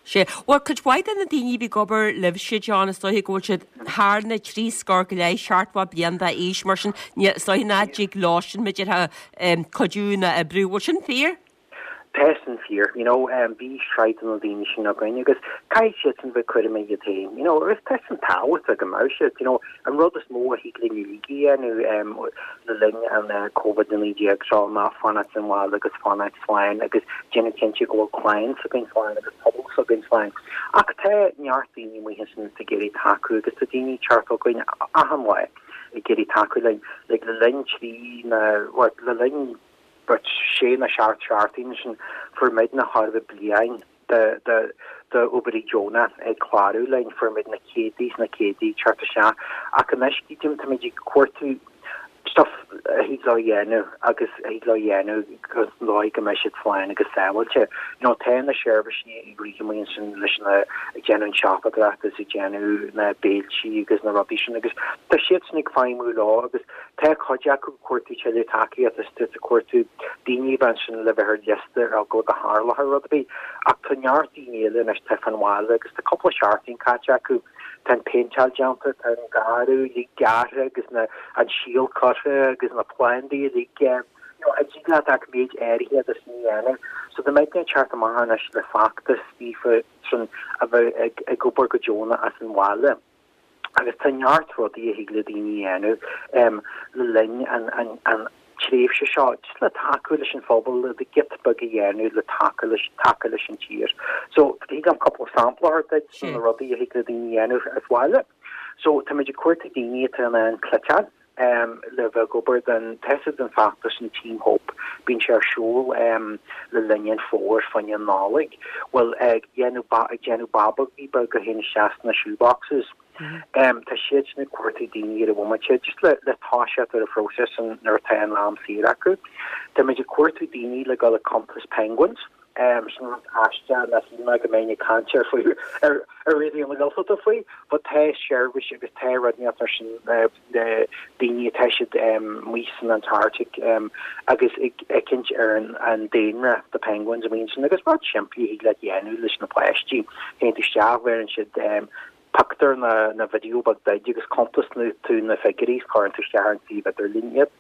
Sea. Bhuel, cuid mhaith de na daoine a bhí ag obair libhse, John, is dóiche go bhfuil siad thar na trí scór go leith, seachtó bliain d'aois, mar sin, is dóiche nach dtig leosan, b'fhéidir, cuidiú ná oibriú. Bhfuil sin fíor? Tá sin fíor, you know, um, bhí sraith de na daoine sin againn agus caithfidh siad sin bheith cúramach iad féin, you know, agus tá sin tábhachtach go mbeadh siad, you know, an rud is mó a thig linn uilig a dhéanamh um, le linn an uh, Covid a naoi déag seo ná fanacht sa bhaile agus fanacht slán agus déanamh cinnte go bhfuil clann s'againn slán agus pobal s'againn slán. Ach tá neart daoine amuigh ansin ag iarraidh tacú agus tá daoine ag teacht chugainn achan lá ag iarraidh tacú linn like, le linn trí na well, le linn but sé nó seacht seachtain sin fuair muidne thar a bliain de de de oibrithe deonacha ag clárú linn fuair muid na céadta is na céadta ag teacht isteach ach anois cídim táimid ag cuartú stuff a thig leo dhéanamh agus a thig leo dhéanamh agus dóigh go mbeidh siad slán agus sábháilte. You know, tá na seirbhísí ag rith amuigh ansin leis na ag déanamh an siopadóireacht agus ag déanamh na béiltí agus na rudaí sin agus tá siad sin ag feidhmiú leo agus tá cuid acu ag cuartú tuilleadh tacaíocht is tá ag cuartú daoine a bheith ansin le bheith ar liosta ar eagla go dtarlódh rud ar bith ach tá neart daoine eile anois tá fan bhaile agus tá cúpla seachtain caite acu tá an péinteáil déanta, tá an garraí uilig gearrtha agus na an síol curtha agus na plandaí uilig you know, a dtig leat ach méid áirithe de sin a dhéanamh. So tá muidne ag teacht amach anois le feachtas daofa sin a bheith ag, ag obair go deonach as an bhaile. Agus tá neart rudaí a thig le daoine a dhéanamh um, le linn an, an, an tréimhse seo just le tacú leis an phobal le giota beag a dhéanamh le tacú leis tacú leis an tír. So thig liom cúpla sampla a thabhairt duit na rudaí a thig le daoine a dhéanamh as bhaile. So táimid ag cuartú daoine atá in ann cleiteáil um, le bheith ag obair den tesa den feachtas an Team Hope bíonn sé ar siúl um, le linn an fómhair fá choinne an Nollaig. Well ag déanamh ag déanamh babógaí beaga a théann isteach sna shoeboxes. Um, tá siad sin ag cuartú daoine ar an bhomaite just le le toiseacht ar an phróiseas an nuair atá an am saor acu. Táimid ag cuartú daoine le dul ag cuntas penguins. Um, sin rud aisteach nach shíl mé go mbeinn ag caint ar faoi ar ar Raidió na Gaeltachta faoi, but tá seirbhís agus tá rud ar sin uh, daoine atá siad um, amuigh san Antarctic um, agus ag féachaint ar an, an daonra the penguins a bhíonn sin agus rud simplí thig le dhéanamh leis na páistí. Théann tú isteach bheireann siad um, pictiúr na na video beag duit agus cuntasann tú na figiúirí cuireann tú isteach ar an suíomh idirlín iad.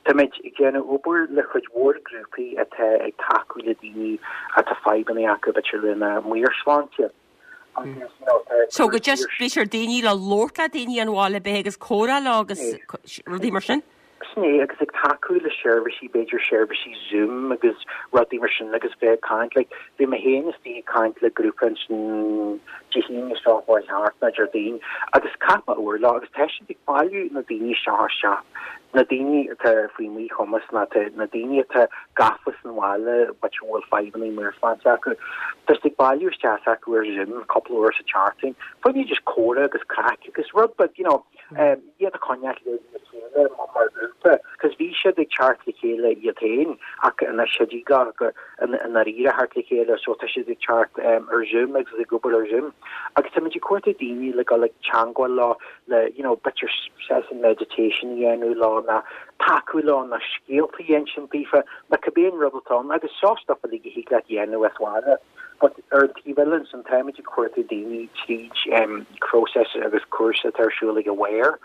Táimid ag déanamh obair le chuid mhór grúpaí atá ag tacú le daoine atá fadhbanna acu b'fhéidir lena meabhairshláinte. Agus, you know, tá So go just b'fhéidir daoine le labhairt le daoine an bhaile b'fhéidir agus comhrá leo agus rudaí mar sin? Sin é agus ag tacú le seirbhísí b'fhéidir seirbhísí Zoom agus rudaí mar sin agus bheith ag caint like, bhí mé féin istigh ag caint le grúpa ansin Dé hAoine seo chuaigh thart nó Déardaoin agus chaith mé uair leo agus tá siad ag bailiú na daoine seo isteach na daoine atá faoi mhíchumas na na daoine atá gafa san bhaile but bhfuil fadhbanna meabhairshláinte acu. Tá siad ag bailiú isteach acu ar Zoom cúpla uair sa tseachtain. Fá choinne just comhrá agus craic agus rud but you know um, iad a choinneáil le le chéile mar mar grúpa, cos bhí siad ag teacht le chéile iad féin ach anois siad go go in ndáiríre teacht le chéile so tá siad ag teacht um, ar Zoom agus ag obair ar Zoom. Agus táimid ag cuartú daoine le dul ag teagmháil leo le you know, b'fhéidir session meditation a dhéanamh leo ná tacú leo ná scéalta a insint daofa na cibé an rud atá ann agus seo stuff uilig a thig leat dhéanamh as bhaile. But ar an taobh eile ansin táimid ag cuartú daoine tríd um, process agus cúrsa atá ar siúl ag Aware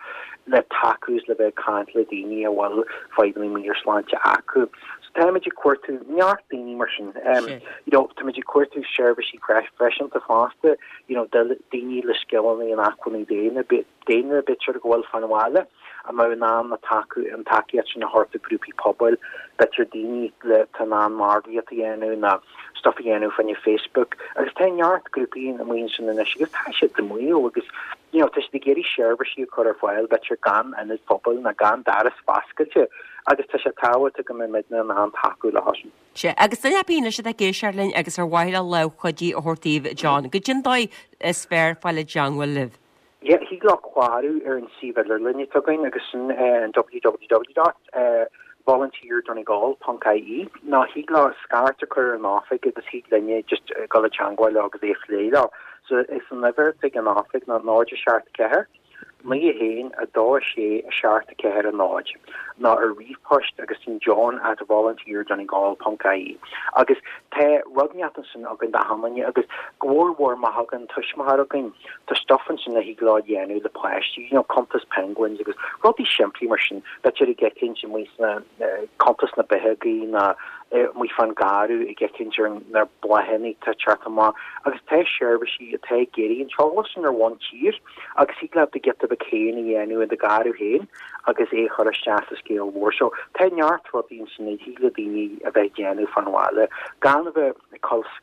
le tacú le bheith ag caint le daoine a bhfuil fadhbanna meabhairshláinte acu. So táimid ag cuartú neart daoine mar sin. Um, you know, táimid ag cuartú seirbhísí freisin fosta, you know, daoine le scileanna in acmhainní daonna daonna b'fhéidir go bhfuil fan bhaile a mbeadh in ann na tacú an tacaíocht sin a thabhairt do grúpaí pobail, b'fhéidir daoine le tá in ann margaíocht a dhéanamh ná stuff a dhéanamh fá choinne Facebook agus tá neart grúpaí amuigh ansin anois agus tá siad amuigh agus you know, tá siad ag iarraidh seirbhísí a chur ar fáil b'fhéidir gan ionad pobail ná gan doras oscailte agus tá sé tábhachtach go mbeidh muidne in ann tacú leo sin. Sea, agus duine ar bith anois atá ag éisteacht linn agus ar mhaith leo lámh chuidí a thabhairt daoibh John, goidé an dóigh is fearr fáil i dteangmháil libh. Yeah, thig leo clárú ar an suíomh idirlín atá againn agus sin uh, an www dot uh, volunteerdonegal.ie ná thig leo scairt a chur ar an oifig agus thig linne just uh, dul i dteangmháil leo agus é a phlé leo. So is an uimhir ag an oifig ná náid seacht ceathair, naoi haon a dó sé a seacht ceathair a náid ná ar ríomhphost agus sin john at volunteerdonegal.ie agus tá rud neart ansin againn d'achan duine agus go mhór mhór má thagann tuismitheoir againn tá stuff ansin a thig leo dhéanamh le páistí you know, cuntas penguins agus rudaí simplí mar sin b'fhéidir ag féachaint amuigh sna cuntas na bitheogaí na amuigh fán gharraí ag féachaint ar na bláthanna atá ag teacht amach agus tá seirbhísí atá ag iarraidh an t-eolas sin ar bhonn tír agus thig leat do giota beag féin a dhéanamh i do gharraí féin agus é a chur isteach sa scéal mhór seo. Tá neart rudaí ansin a thig le daoine a bheith ag déanamh fán bhaile gan a bheith ag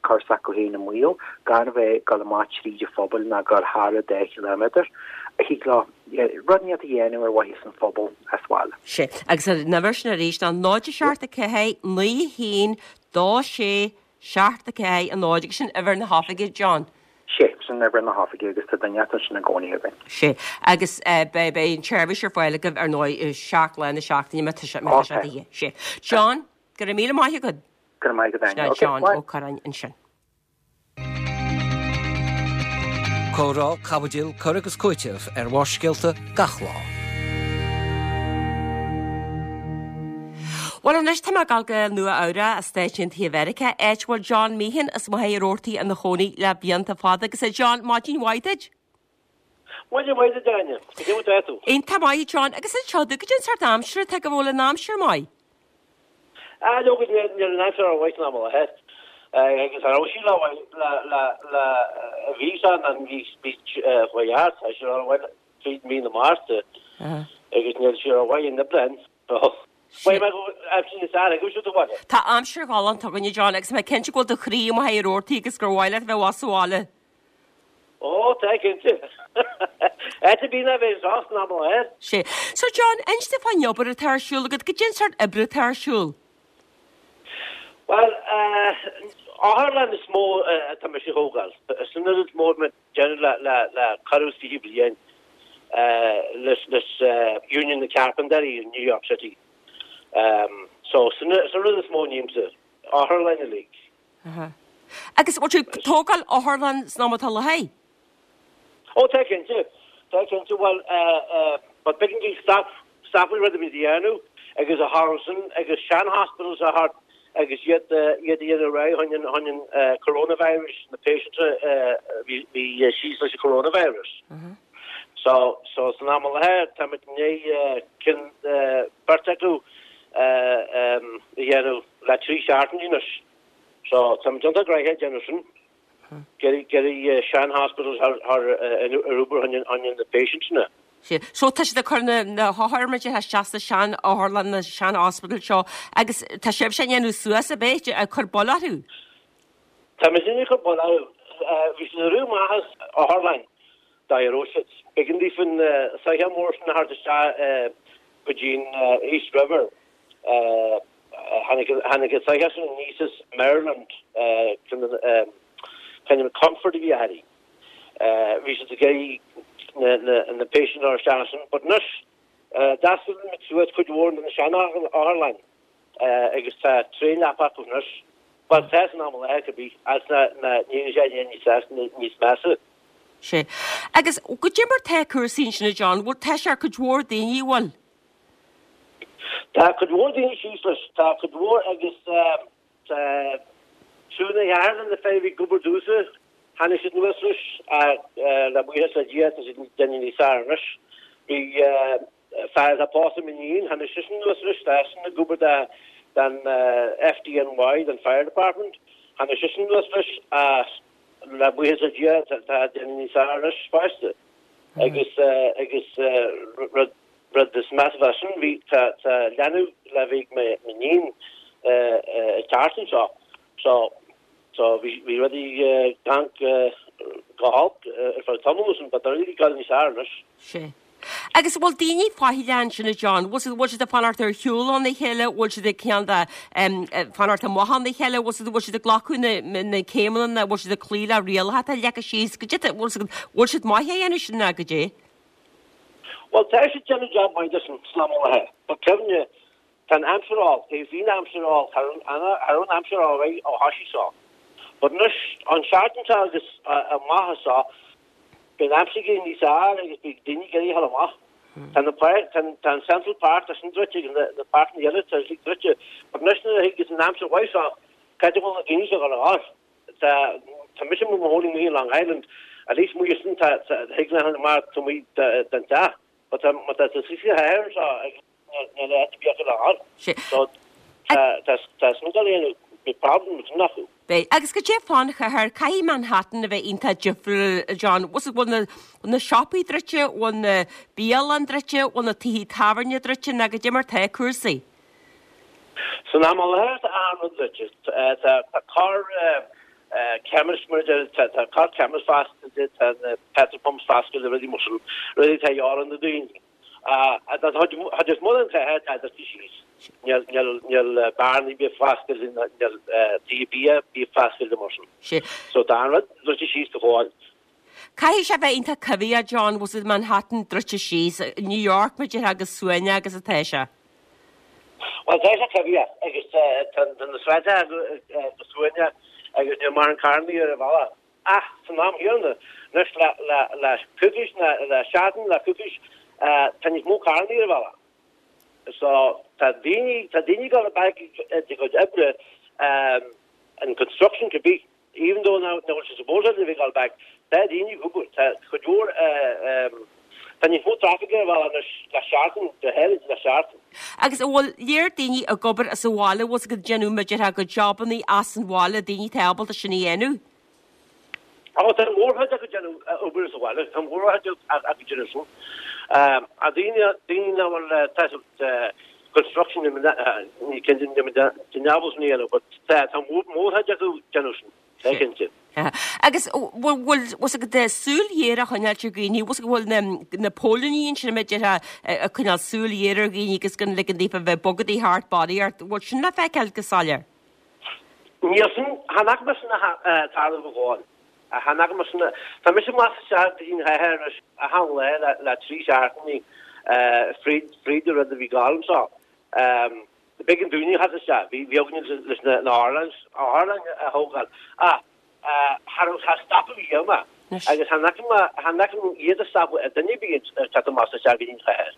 cur s'acu féin i mbaol, gan a bheith ag dul amach tríd an phobal ná dul thar a deich ciliméadar. Thig leo rud inteacht a dhéanamh ar mhaithe san phobal as bhaile. Sé, agus an uimhir sin arís ná náid a seacht a ceathair naoi haon dó sé seacht a ceathair a náid agus sin uimhir na hoifige, John. Sé, sin uimhir na hoifige agus tá duine ansin i gcónaí againn. Sé, agus beidh beidh an tseirbhís ar fáil agaibh ar ndóigh seacht lá na seachtaine má tá sé má tá sé de dhíth. Sé. John, go raibh míle maith agat. Go raibh maith agat, Áine. Sin John Ó Curráin ansin. Comhrá, caibidil, cur agus cúiteamh ar Bharrscéalta gach lá. Bhuel anois tá mé ag dul go Nua Eabhrac i Stáit Aontaithe Mheiriceá, áit a bhfuil John Meehan as Machaire Rabhartaigh ina chónaí le blianta fada. Agus a John, maidin mhaith duit. Maidin mhaith duit, Áine. Cad é mar atá tú? Iontach maith, a John. Agus anseo duit, cad é an sórt aimsire atá agaibh, an bhfuil an aimsir maith? Ah, leoga, níl an aimsir rómhaith san am i láthair. Agus cha raibh sí le le le le mhí san an mhí mhí chuaigh thart, tá sí rómhaith tríd mí na Márta agus níl sí rómhaith in Aibreán. So, mhaígh mé go bhfuil aimsir níos fearr agaibh siúd sa bhaile. Tá aimsir ghalánta againne, John, agus mé cinnte go bhfuil do chroí i Machaire Rabhartaigh agus gur mhaith leat a bheith abhus sa bhaile. Ó, tá, cinnte. Áit ar bith ná bheith anseo san am i láthair. Sé. So, John, inis domh fán obair atá ar siúl agat, cad é an sórt oibre atá ar siúl? Bhuel, otharlann is mó atá mise a thógáil. Sin an rud is mó atá mé ag déanamh le, le, le corradh is fiche bliain leis, leis Union na Carpenters in New York City. So, sin, sin an rud is mó a nímse, otharlann uilig. Aha. Agus bhfuil tú ag tógáil otharlann san am atá i láthair? Ó, tá cinnte. Tá cinnte. Bhuel, but b'éigean di stop, stop an rud a bhí a dhéanamh agus a tharla sin agus sean hospitals a thart agus iad, iad a dhéanamh réidh chun an, chun an coronavirus, na patients a bhí, bhí síos leis an coronavirus. So, so san am i láthair táimid i ndiaidh ceann, beirt acu a dhéanamh le trí seachtainí anois. So, táimid iontach gnoitheach ag déanamh sin. Iarraidh sean hospitals thar ar obair chun na patients na. Sea. So tá siad ag cur na na hothair mar déarfá isteach sa sean otharlann na sean hospital seo agus tá sibhse á ndéanamh suas ab ea ag cur bail orthu? Tá muid ag cur bail orthu. Bhí siad ag éirí amach as otharlann dá raibh siad. B'éigean daofa an soitheach mór sin a thabhairt isteach go dtí an East River. Tháinig an soitheach sin aníos as Maryland, kind of Comfort a bhí uirthi. Bhí siad ag iarraidh na patients a chur isteach ansin, but anois d'oscail muid suas cuid mhór de na sean-otharlann agus tá tréan-leapa acu anois. Bhuel, tá san am i láthair cibé, agus níl sé níos measa. Sea. Agus goidé mar tá cúrsaí ansin a John, bhfuil tá sé ar cuid mhór daoine, bhfuil? Tá cuid mhór daoine síos leis, tá cuid mhór agus tá triúr nó ceathrar de na fir a bhí ag obair domhsa, tháinig siad anuas leis ach le buíochas le Dia tá siad ag déanamh níos fearr anois. Bhí fear atá pósta le m'iníon, tháinig seisean anuas leis, tá seisean ag obair don FDNY, don Fire Department, tháinig seisean anuas leis ach le buíochas le Dia tá déanamh níos fearr anois fosta agus agus rud Rud is measa ná sin, bhí, tá, tá leanbh le bheith ag m'iníon ag teacht anseo so, so bhí, bhí rudaí gan, go holc ar feadh tamaill ansin but tá rudaí ag dul níos fearr anois. Sea. Agus bhfuil daoine faichilleach ansin a John? Bhfuil siad, bhfuil siad ag fanacht ar shiúl óna chéile? Bhfuil siad ag cineál de fanacht amach óna chéile? Bhfuil siad, bhfuil siad ag glacadh na, na céimeanna, bhfuil siad ag cloí le rialacha atá leagtha síos? Goidé, bhfuil siad, bhfuil siad maith á dhéanamh sin ná goidé? Bhuel, tá siad ag déanamh jab maith de san am i láthair. But cuimhnigh, tá an aimsir olc, bhí an aimsir olc, cha raibh an aimsir rómhaith ó thoisigh seo. But anois, an seachtain seo agus amach as seo, beidh an aimsir ag éirí níos fearr agus beidh daoine ag iarraidh a dhul amach. Tá na páirc, tá tá an Central Park, tá sin druidte agus na na páirceanna eile, tá siad druidte. But anois nuair a thigeas an aimsir mhaith seo, cá háit a bhfuil na daoine seo ag dul a dhul? Tá tá mise i mo chónaí amuigh in Long Island, at least amuigh ansin tá tá thig le mar tá amuigh den teach, but tá má tá tú suas sa chathair anseo agus níl áit ar bith acu le dhul. Sé. So Tá tá sin ag dul beidh problems acu. Beidh. Agus goidé fán chathair, caithfidh Manhattan a bheith iontach difriúil, John. Bhfuil na bhfuil na siopaí druidte, bhfuil na bialanna druidte, bhfuil na tithe tábhairne druidte, nó goidé mar tá cúrsaí? San am i láthair tá achan rud druidte. Tá tá corr chemist mar tá tá corr chemist foscailte, tá na petrol pumps foscailte, rudaí mar sin, rudaí atá de dhíth ar na daoine. Tá is mó den chathair tá druidte síos. Níl níl níl bearnaí bia foscailte, níl tithe bia bia foscailte mar sin. Sé. So tá an rud druidte síos go fóill. Caithfidh sé bheith iontach coimhthíoch, John, bhfuil Manhattan druidte síos, New York mar a déarfá chomh suaimhneach agus atá sé. Well tá sé coimhthíoch agus tá na sráideanna go suaimhneach agus níl mórán carrannaí ar an bhealach. Ach san am chéanna, anois le le le coicís le seachtain le coicís tá níos mó carrannaí ar an bhealach. So tá daoine tá daoine ag dul back ag a gcuid oibre um, in construction could be even though now now bhfuil supposed to be gone back tá daoine ag obair tá cuid mhór um, tá níos mó traffic ar an bhealach anois le seachtain go háirid le seachtain. Agus an bhfuil léir daoine ag obair as an bhaile bhfuil ag déanamh mar a déarfá go jobannaí as an bhaile daoine atá ábalta sin a dhéanamh? Á tá mórchuid acu déanamh obair as an bhaile tá mórchuid acu déanamh sin. Um, a daoine daoine nach bhfuil tá construction ní cinnte déanamh sin a dhéanamh, but tá tá mórchuid acu déanamh sin. Tá cinnte. Agus bhfuil agat súil ghéar á choinneáil ar dhaoine, bhfuil go bhfuil na na póilíní ansin mar a déarfá ag coinneáil súil ghéar ar dhaoine agus gan ligean daofa bheith bogadaí thart barraíocht, bhfuil sin le feiceáil go soiléir? Níl sin chan fhaca mé sin tarlú go fóill. Chan fhaca mé sin tá mise amach isteach go dtí an chathair anois achan lá le le trí seachtainí fríd fríd an rud a bhí ag gabháil anseo. B'éigean dúinne a theacht isteach, bhí bhí againne leis na na otharlann otharlann a thógáil. Ach cha raibh cha stopadh riamh mé agus chan fhaca mé chan fhaca mé iad ag stopadh ar duine ar bith ag teacht amach isteach go dtí an chathair.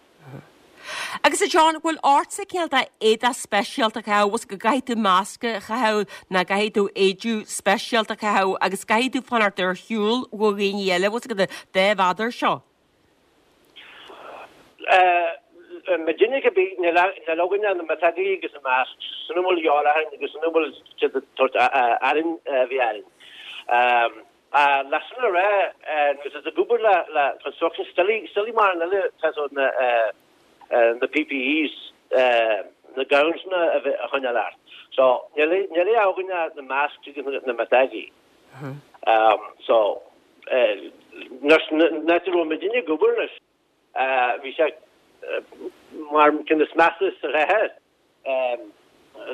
Agus a John, bhfuil ortsa cineál de éadach speisialta a chaitheamh, bhfuil go gcaithfidh tú masca a chaitheamh nó gcaithfidh tú éide speisialta a chaitheamh agus caithfidh tú fanacht ar shiúl ó dhaoine eile, bhfuil go dá mhéadar seo? Muidinne cibé níl níl againne na miotógaí agus na masks, sin a bhfuil de dhíobháil orainn agus sin a bhfuil siad ag tabhairt orainn a bhí orainn. Le sin a rá, nuair atá tú ag obair le le construction, still still mar an eile tá na na PPEs, na gowns na a bheith a choinneáil ort. So níl níl againne na masks agus na miotógaí. So nuair nuair a raibh muidinne ag obair anois, bhí sé mar ceann is measa sa chathair.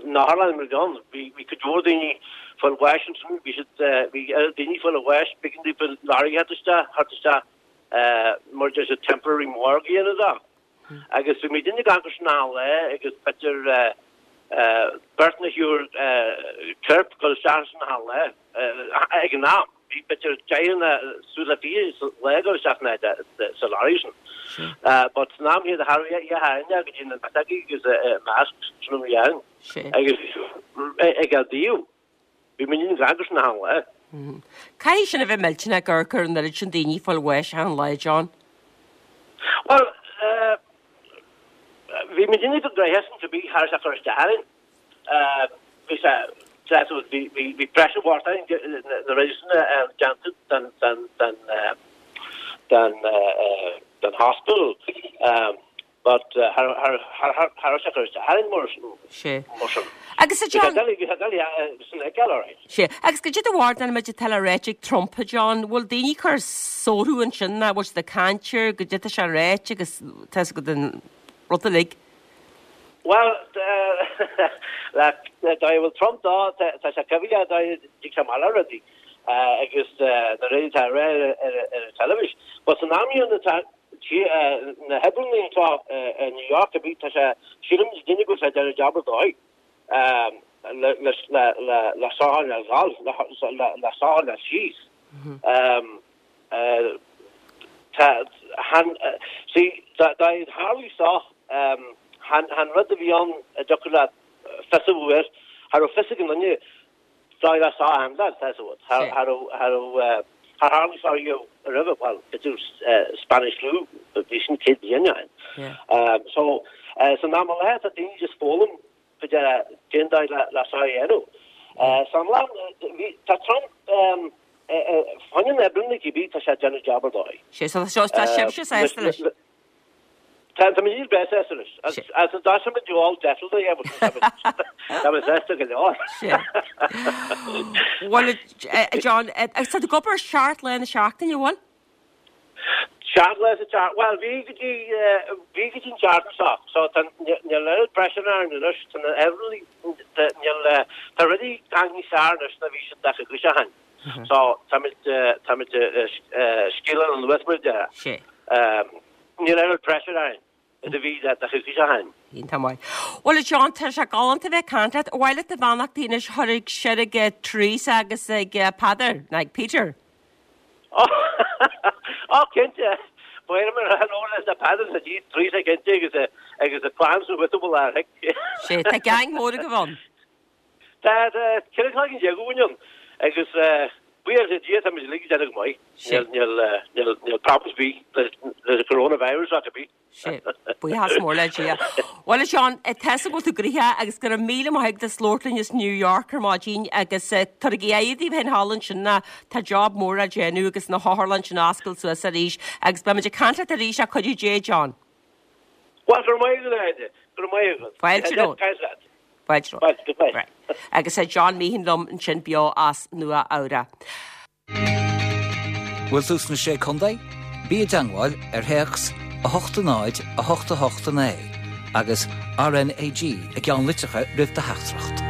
Na otharlann mar gheall, bhí bhí cuid mhór daoine ag fáil bháis ansin, bhí siad bhí daoine ag fáil bháis, b'éigean daofa lorry a theacht isteach, theacht isteach mar deir siad temporary morgue a dhéanamh dó. Agus bhí muidinne ag amharc sin achan lá agus b'fhéidir beirt nó thriúr corp ag dul isteach ansin achan lá ag an am. Bhí b'fhéidir deich nó suas le fiche sa lá ag dul isteach sa lorry sin. But san am chéanna cha raibh a dhath againne go dtí na miotógaí agus masks sin a bhí ann. Agus ag an dtaobh, bhí muidinne ag amharc sin achan lá. Caithfidh sin a bheith millteanach ag amharc ar an oiread sin daoine ag fáil bháis achan lá, John. Well, bhí muidinne go gnoitheach sin cibé, cha raibh sé ag cur isteach orainn. Bhí sé, bhí bhí pressure mhór orainn na rudaí sin a déanta den den den den den hospital. But cha raibh sé ag cur isteach orainn mar Sé. mar sin. Agus a Bhí sé John, doiligh, bhí sé doiligh sin a fheiceáil, alright. Sé. Agus goidé do bharúil maidir atá le ráite ag Trump, a John, bhfuil daoine ag cur sórú ansin ná bhfuil siad ag caint air, goidé atá sé ag ráite agus tá go den rud uilig. Well, le dá bhfuil Trump dá tá sé coimhthíoch dá dtig sé amach le rudaí agus na rudaí atá á rá ar ar an teilifís. But san am chéanna tá na hoibreanna atá i New York a bhí tá sé sílim duine go bhfuil sé ag déanamh jab ar dóigh le le le le le sáil le gal le le le sáil le síos. Tá han see dá dá tharlú seo chan chan rud a bhí ann a dtiocfadh leat fios a bheith air, cha raibh fios ag an duine dá le sá handle tá a fhios agat. Cha raibh cha raibh char tharla seo riamh roimhe, well b'fhéidir Spanish flu bhí sin céad bliain ó shin. So san am i láthair tá daoine just foghlaim fá cén dóigh le le seo a dhéanamh. So an lá bhí tá Trump fá choinne na oibreanna cibé tá sé ag déanamh jab ar dóigh. Sé so tá tá sibhse sásta leis. Tá tá muid breá sásta leis. Agus agus dá mbeadh muid all settled a dhéanamh tá muid sásta go leor. Sé. Bhuel a John, agus tá tú ag obair seacht lá na seachtaine, bhfuil? Seacht lá sa tseachtain, bhuel bhí go dtí bhí go dtí an tseachtain seo, so tá níl oiread pressure orainn anois, tá na oibreanna níl tá rudaí tagtha níos fearr anois ná bhí siad daichead coicís ó shin. So táimid táimid scaoileadh anuas mar a déarfá. Sé. Níl oiread pressure orainn is a bhí daichead coicís ó shin. Iontach maith. Bhuel a John, tá sé galánta bheith ag caint leat. Ar mhaith leat do bheannachtaí anois a chur ag siar ag Teresa agus ag Peadar, nó ag Peter? Ó, cinnte. Ba mhaith liom a rá hello leis na Peadar sa dtí, Teresa cinnte agus a agus a clann sa bhfuil bhfuil ar thic. Sé, tá gang mór agaibh ann. Tá, tá ceithre cloigeann déag againn ann agus buíochas le Dia táimid uilig ag déanamh go maith. Sé. Níl, níl, níl, níl problems ar bith leis leis an coronavirus ach ar bith. Sé, buíochas mór le Dia. Bhuel a Seán, tá 'fhios agam go bhfuil tú gnoitheach agus go raibh míle maith agat as labhairt linn as New York ar maidin agus tabhairigí aghaidh daoibh féin thall ansin ná tá job mór á déanamh agus na hotharlanna sin á oscailt suas arís agus beimid ag caint leat arís le cuidiú Dé, John. Bhuel, go raibh maith agat, a Áine. Go raibh maith agat. Fáilte romhat. Caint leat. Fáilte romhat. Fáilte, goodbye. Right. Agus é John Meehan liom ansin beo as Nua Eabhrac. Bhfuil tú sna Sé Contae? Bí i dteangmháil ar théacs a hocht a náid a hocht a hocht a naoi agus RNAG i gceann litreacha roimh do theachtaireacht.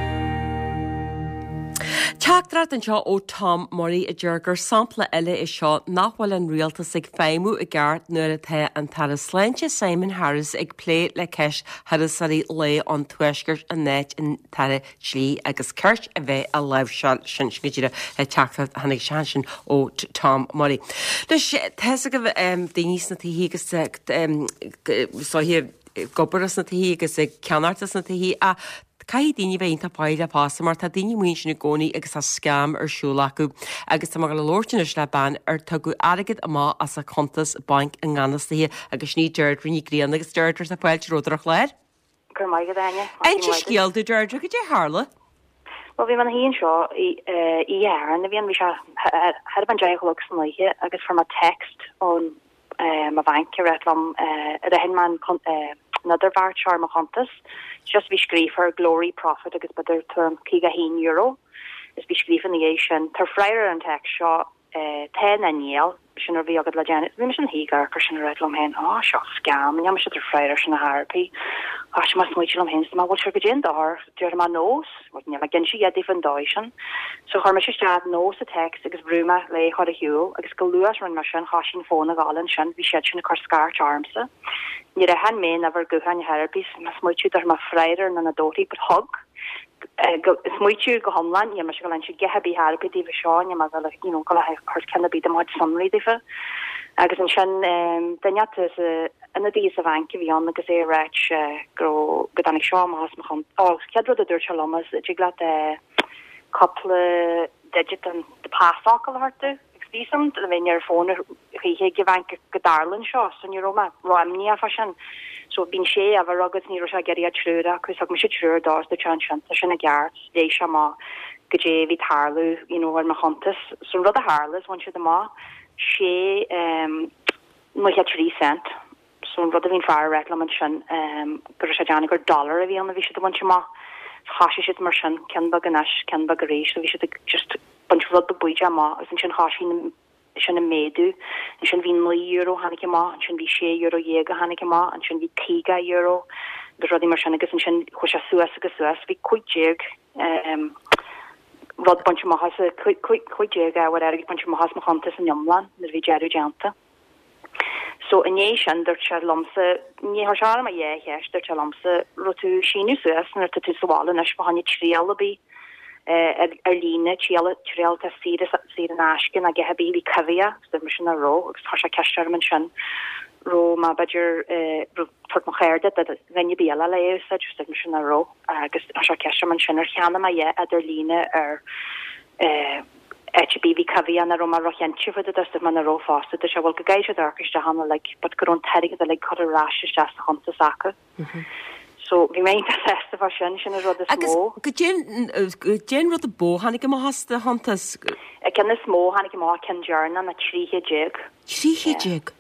Teachtaireacht anseo ó Tom Murray a deir gur sampla eile é seo nach bhfuil an rialtas ag feidhmiú i gceart nuair atá an tAire Sláinte Simon Harris ag plé le ceist thurasóirí lae an Tuaiscirt in áit an tAire Dlí agus Cirt a bheith á láimhseáil sin sin go díreach teachtaireacht a tháinig isteach ansin ó Tom Murray. Anois tá 'fhios agaibh daoine sna tithí agus is dóiche ag obair sna tithí agus ag ceannacht sna tithí ach caithfidh daoine bheith iontach faichilleach fosta mar tá daoine amuigh ansin i gcónaí agus tá scam ar siúl acu agus tá mé ag dul a labhairt anois le bean ar tugadh airgead amach as a cuntas bainc i ngan fhios daoithe agus sin í Deirdre Ní Ghrianna agus Deirdre tá fáilte romhat ar an chlár. Go raibh maith agat, Áine. Inis scéal dúinn Deirdre goidé a tharla. Well bhí mé ina shuí anseo oíche Shathairn a bhí ann, bhí sé thart fán deich a chlog san oíche agus fuair mé text ón mo bhanc ag ráit liom ar aithin mé an idirbheart seo ar mo chuntas. Just bhí scríofa Glory Profit agus b'fhéidir tuairim caoga a haon euro is bhí scríofa ina dhiaidh sin. Tabhair freagra ar an text seo tá nó níl, sin a bhí agat le déanamh. Bhí mise ina shuí ag amharc air sin ag ráit liom féin, á seo scam, níl mise ag tabhairt freagra air sin ar chor ar bith. Thoisigh mé ag smaoitiú liom féin, is mé bhfuil sé goidé an dochar, déarfaidh mé no, bhuel níl mé ag inse a dhath daofa an dóigh sin. So chuir mise isteach no sa text agus bhrú mé le é a chur ar shiúl agus go luath is a rinne mé sin thoisigh an fón a ghabháil ansin, bhí siad sin ag cur scairt ormsa. Níor aithin mé an uimhir gutháin ar chor ar bith, mé ag smaoitiú dtabharfaidh mé freagra nó nach dtabharfaidh, but thug. Smaoitiú go hiomlán, níl mise ag dul a inse a dhath ar bith ar bith daofa seo, níl mé ag dul you know dul a thabhairt ceann ar bith de mo chuid sonraí daofa. Agus ansin duine ata sa ionadaí sa bhanc a bhí ann agus é ag ráit go raibh go dtáinig seo amach as mo chun ó chéad rud a dúirt sé liom is dtig leat cúpla digit den do pasfhocal a thabhairt domh. Agus bhí a fhios agam le bheith ar an fón choíche ag an bhanc go dtarlaíonn seo so ní raibh mé ró-imníoch fá sin. So bíonn sé uimhir agus ní raibh sé ag iarraidh triúr acu so thug mise triúr dó is dúirt sé ansin tá sin i gceart léigh sé amach goidé a bhí ag tarlú you know ar mo chuntas. So an rud a tharla is bhain siad amach sé um, nócha trí cent. So an rud a bhí an fear ag ráit liom ansin um, go raibh sé ag déanamh gur dollar a bhí ann a bhí siad ag baint amach. So thoisigh siad mar sin ceann beag anois ceann beag arís so bhí siad ag just baint rud beag bídeach amach agus ansin thoisigh na sin ag méadú. Ansin bhí naoi euro tháinig amach, ansin bhí sé euro dhéag a tháinig amach, ansin bhí caoga euro agus rudaí mar sin agus ansin chuaigh sé suas agus suas, bhí cúig déag um, rud bainte amach as cúig déag ábhar airgid bainte amach as mo chuntas in iomlán nuair a bhí deireadh déanta. So i ndiaidh sin dúirt sé liomsa ní chuir sé orm ach dhá cheist, dúirt sé liomsa raibh tú ag síniú suas nuair atá tú sa bhaile anois fá choinne triail ar bith ar ar líne triail triail atá saor saor in aisce nó a dhath ar bith a bhí coimhthíoch agus dúirt mise nach raibh agus chuir sé ceist orm ansin raibh mé b'fhéidir raibh tabhairt mo chárta do dhuine ar bith eile le é a úsáid agus dúirt mise nach raibh agus chuir sé ceist orm ansin ar cheannaigh mé a dhath ar líne ar áit ar bith a bhí coimhthíoch nach raibh mé róchinnte fá dtaobh de dúirt mé nach raibh fosta dúirt sé bhuel go gcaithfidh siad amharc isteach ann uilig but go raibh an t-airgead uilig curtha ar ais isteach sa chuntas acu. So bhí mé iontach sásta fá sin, sin an rud is mó. Agus goidé an rud ba mhó tháinig amach as do chuntas? An ceann is mó tháinig amach ceann deireanach ná trí chéad déag. Trí chéad déag?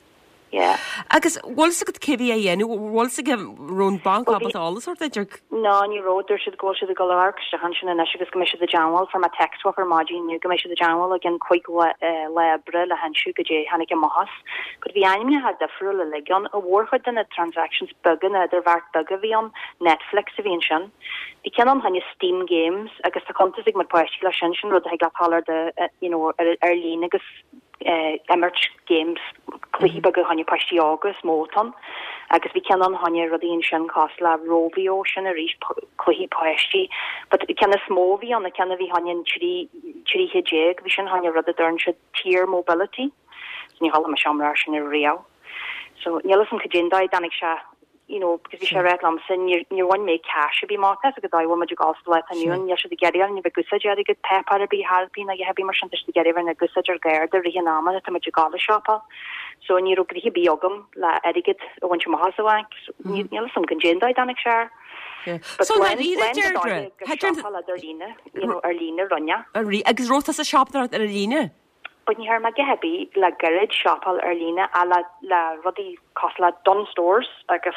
Yeah. Agus bhfuil fhios agat cé bhí á dhéanamh, bhfuil fhios agat raibh an banc ábalta eolas a thabhairt duit ar. No, ní raibh, dúirt siad go bhfuil siad ag dul a amharc isteach ansin anois agus go mbeidh siad i dteangmháil, fuair mé text uathu ar maidin inniu go mbeidh siad i dteangmháil i gcionn cúig lá oibre le hinse goidé tháinig amach as. But bhí ainmneacha difriúla uilig ann, a mhórchuid de na transactions beaga na idirbheart beaga a bhí ann, Netflix a bhí ansin. Bhí ceann ann choinne Steam Games agus tá cuntas ag mo pháistí leis sin, sin rud a thig leat dul ar do you know ar ar líne agus eh imirt games cluichí beaga choinne páistí óga is mó atá ann. Agus bhí ceann ann choinne rudaí ansin cosúil le Rovio sin arís cluichí páistí. But ceann is mó a bhí ann, an ceann a bhí choinne an trí trí chéad déag, bhí sin choinne rud a deireann siad Tier Mobility. So ní chuala mise iomrá air sin ariamh. So níl fhios a'm cad é an dóigh a dtáinig sé you know because bhí sé ag ráit liomsa níor níor bhain mé cash ar bith amach as agus dóigh a bhfuil muid ag gabháil sa lá atá inniu ann níl siad ag iarraidh orainn a bheith ag úsáid airgead páipéar ar bith thar bith ná a dhath ar bith mar sin tá siad ag iarraidh bheith ag úsáid ár gcárta i rith an ama atá muid ag gabháil ag siopa. So ní raibh gnoithe ar bith agam le airgead a bhaint amach as an bhanc. So níl níl fhios a'm cad é an dóigh a dtáinig sé air. But So lán dáiríre lán de Deirdre, dóigh ag thit ar siopa ar líne you know ar líne rinne. Agus raibh tusa ag siopadóireacht ar líne? But ní thearn mé a dhath ar bith le gairid siopail ar líne ach le le rudaí cosúil le Dunnes Stores agus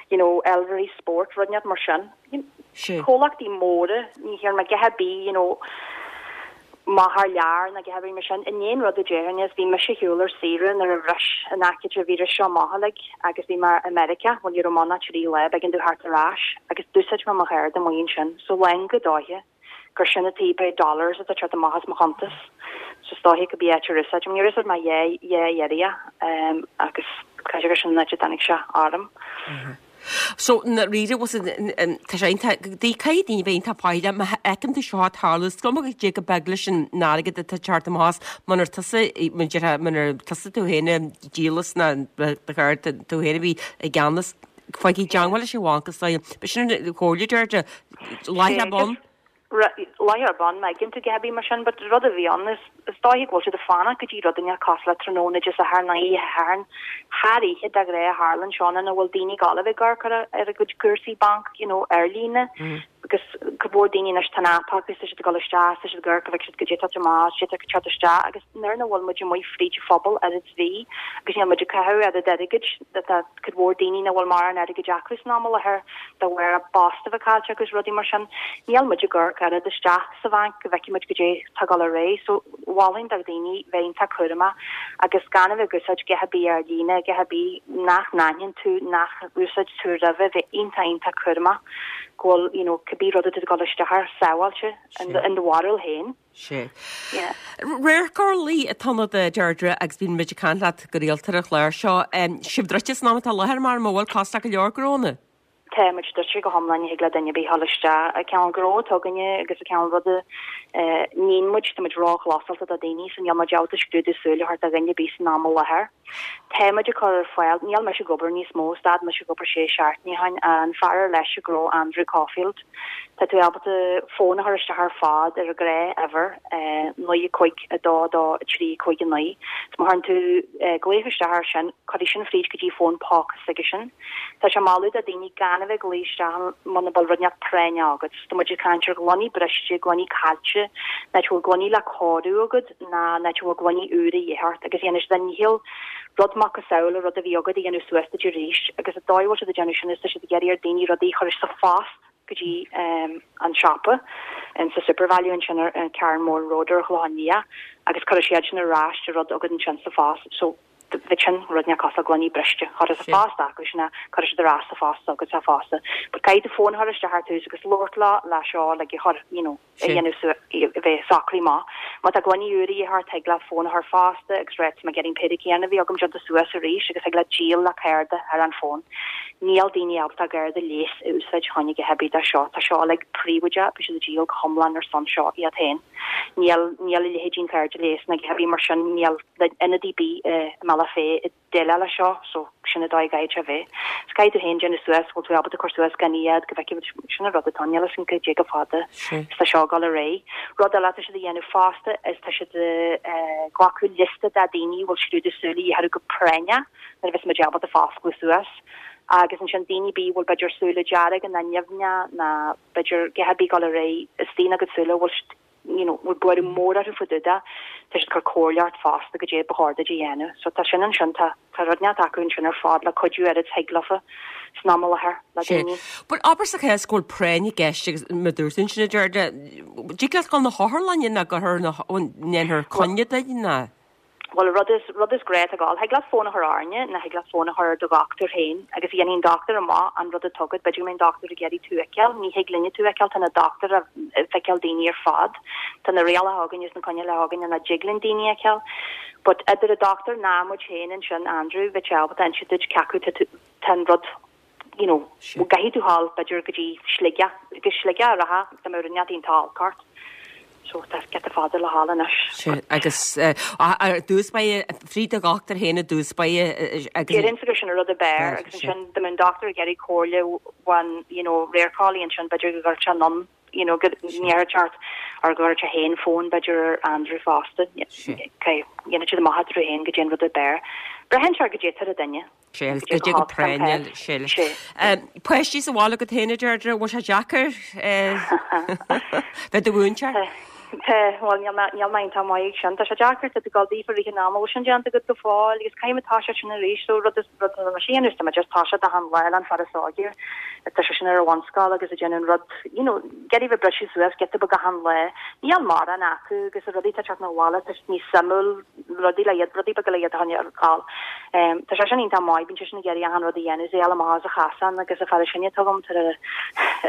you know Elvery Sport rud inteacht mar sin. Sea. Comhlachtaí móra ní thearn mé a dhath ar bith you know amach thar lear ná a dhath ar bith mar sin. An aon rud a déarfainn is bhí mise ar shiúl ar saoire nuair a bhris an aicíd an víreas seo amach uilig agus bhí mé i Meiriceá, bhuel ní raibh mé ann ach trí lá, b'éigean domh theacht ar ais agus d'úsáid mé mo chárta amuigh ansin so lán go dóiche. gur sin an taobh é dollars atá teacht amach as mo chuntas. So is dóiche go bí áit ar úsáid níor úsáid mé dhá dhá iarraidh agus caithfidh gur sin an áit a dtáinig sé orm. So ndáiríre was tá sé iontach caithfidh daoine bheith iontach faichilleach má fheiceann tú seo ag tarlú is cuma goidé chomh beag leis an airgead atá ag teacht amach as munar tusa munar tusa tú féin ag díol as ná do chárta tú féin a bhí i gceannas faigh i dteangmháil leis an bhanc is dóigh. B'shin an chomhairle Deirdre láithreach bonn. Láithreach bonn má fheiceann tú a dhath ar bith mar sin but rud a bhí ann is is dóiche go bhfuil siad ag fanacht go dtí rud inteacht cosúil le tráthnóna Dé Sathairn nó oíche Shathairn thar oíche de ghnáth a tharlaíonn seo ina bhfuil daoine ag gabháil a bheith ag amharc ar ar a gcuid cúrsaí banc you know ar líne because cuid mhór daoine anois tá an app acu tá siad ag dul isteach tá siad ag amharc go bhfeicfidh siad goidé atá amach goidé atá ag teacht isteach agus nuair nach bhfuil muid amuigh fríd an phobal oiread is bhí agus níl muid ag caitheamh oiread airgid tá cuid mhór daoine nach bhfuil mórán airgid acu san am i láthair de bharr a bpost a bheith caillte agus rudaí mar sin. Níl muid ag amharc oiread isteach sa bhanc go bhfeicfidh muid goidé tá ag dul ar aghaidh. So mholfainn do dhaoine bheith iontach cúramach agus gan a bheith ag úsáid a dhath ar bith ar líne, a dhath ar bith nach n-aithníonn tú, nach úsáid tú roimhe, bheith iontach iontach cúramach go bhfuil you know cibé rud atá tú ag dul isteach air sábháilte in do bharúil féin. Sea. Radharc Orlaí atá ionat a Deirdre agus bíonn muid ag caint leat go rialta ar an chlár seo. Sibh druidte san am atá i láthair mar an bhfuil cosúil le go leor gnónna? Tá muid druidte go hiomlán, ní thig le duine ar bith dhul isteach. An cineál gnó atá againne agus an cineál ruda a níonn muid, tá muid róchlosáilte do daoine so níl muid ábalta scrúdú súl a thabhairt do dhuine ar bith san am i láthair. Tá muid ag cur ar fáil, níl mise ag obair níos mó, stad mise ag obair sé seachtainí ó shin, an fear ar leis an ghnó Andrew Caulfield. Tá tú ábalta fón a chur isteach ar fad ar an ghnáthuimhir, naoi a cúig a dó a dó a trí cúig a naoi. So má chuireann tú glaoch isteach air sin, cuirfidh sin fríd go dtí fón póca s'aigesean. Tá sé ag moladh do daoine gan a bheith ag glaoch isteach muna bhfuil rud inteacht práinneach agat. So tá muid ag caint ar ghloiní briste, gloiní caillte, nó tá gloiní le cóiriú agat ná nó tá gloiní úra a dhíth ort agus dhéanfaidh siad a ndícheall rud macasamhail an rud a bhí agat a dhéanamh suas duit arís agus an dóigh a bhfuil siad ag déanamh sin is tá siad ag iarraidh ar daoine rudaí a chur sa phost go dtí an siopa in sa Supervalu ansin ar an Carnmore Road ar an Chlochán Liath agus cuirfidh siad sin ar ais an rud agat ansin sa phost so bheadh sin rud inteacht cosúil le gloiní briste chur sa phost acu sin a cuirfidh siad ar ais sa phost agat sa phost but caithfidh tú fón a chur isteach ar tús agus labhairt leo le seo like a chur you know a dhéanamh a bheith socraithe maith. Má tá gloiní úra a dhíth ort thig leat fón a chur fosta agus rá tá mé ag iarraidh an péire céanna a bhí agam déanta suas arís agus thig leat díol le cárta ar an fón. Níl daoine ábalta a gcárta leighis a úsáid chun a dhath ar bith de seo. Tá seo uilig príobháideach, beidh siad ag díol go hiomlán ar son seo iad féin. Níl níl a leithéidí an cárta leighis ná a dhath ar bith mar sin, níl ionadaí ar bith i mBealach Féich ag déileáil leis seo so sin an dóigh a gcaithfidh sé a bheith. So caithfidh tú féin déanamh suas bhfuil tú ábalta cur suas gan iad go bhfeicfidh muid sin an rud atá níl a fhios againn cad é chomh fada is tá seo ag dul ar aghaidh. Rud eile atá siad a dhéanamh fosta is tá siad ag glacadh liosta de daoine a bhfuil scrúdú súl a dhíth orthu go práinneach nuair a bheas muid ábalta foscladh suas. Agus ansin daoine ar bith a bhfuil b'fhéidir súile dearga ná nimhneach ná b'fhéidir a dhath ar bith ag dul ar aghaidh istigh ina gcuid súile a bhfuil siad you know bhfuil buaireamh mór orthu fá dtaobh de, tá siad ag cur comhairle ort fosta goidé ba chóir duit a dhéanamh. So tá sin ansin, tá tá rud inteacht acu ansin ar fad le cuidiú oiread is thig leofa san am i láthair le Sé. daoine. Bhuel abair sa chás go bhfuil práinn i gceist agus mar a dúirt tú ansin a Deirdre, dtig leat dul na hotharlainne ná go ndéanfar coinne duit ná? Bhuel, rud is, rud is gnách a ghabháil, thig leat fón a chur orainne nó thig leat fón a chur ar do dhochtúir féin agus dhéanfaidh an dochtúir amach an rud atá agat, b'fhéidir go mbeidh an dochtúir ag iarraidh tú a fheiceáil, ní thig linne tú a fheiceáil, tá na dochtúir ag feiceáil daoine ar fad, tá na rialacha againn is na coinníollacha againn nach dtig linn daoine a fheiceáil. But idir an dochtúir ná muid féin ansin, Andrew, bheadh sé ábalta inse duit cé acu tá an rud you know, gcaithfidh tú ghabháil b'fhéidir go dtí Sligeach, go Sligeach a rachfá dá mbeadh rud inteacht iontach olc ort. So tá giota fada le ghabháil anois. Sea, agus ar dtús báire, fríd do dhochtúir féin i dtús báire agus. Déarfainnse gur sin an rud ab fhearr agus ansin dá mbeadh an dochtúir ag iarraidh comhairle ón, you know, radharceolaí ansin b'fhéidir go gcuirfeadh sé anonn, you know, go ndéarfadh sé ort or go gcuirfeadh sé féin fón b'fhéidir ar Andrew fosta. Dhéanfadh siad amach eatarthu féin goidé an rud ab fhearr. Braitheann sé ar goidé atá ar an duine. Sé agus goidé go práinneach, sé leis. Páistí sa bhaile agat féin, a Deirdre, bhfuil sé deacair bheith i do mhúinteoir? Tá, bhuel, níl mé, níl mé iontach maith ag sin. Tá sé deacair, tá tú ag gabháil daofa i rith an ama, bhfuil sin déanta agat go fóill agus caithfidh mé toiseacht sin arís, so rud is, rud atá mé féin, tá mé just toiseacht achan lá le an fear is óige, tá sé sin ar an bhunscoil agus ag déanamh an rud, you know, ag iarraidh bheith briseadh suas giota beag achan lá. Níl mórán acu agus na rudaí atá ag teacht 'na bhaile, tá siad níos suimiúil, rudaí le iad, rudaí beaga le iad a choinneáil ar fáil. Tá sé sin iontach maith, bíonn sé sin ag iarraidh achan rud a dhéanamh, is é a fháil amach as an chasán agus an fear is sine atá agam tar ar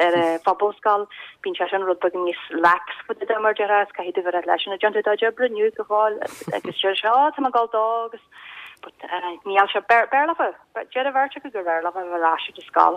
ar an phobalscoil, bíonn sé sin rud beag níos lax fá dtaobh de mar déarfá, is caithfidh tú bheith leis an déanann tú do chuid oibre inniu go fóill agus deir sé, ó tá mé ag dul dó agus but níl sé, b'fhearr leofa, deir an bheirt acu gur bhfearr leofa a bheith ar ais ar an scoil.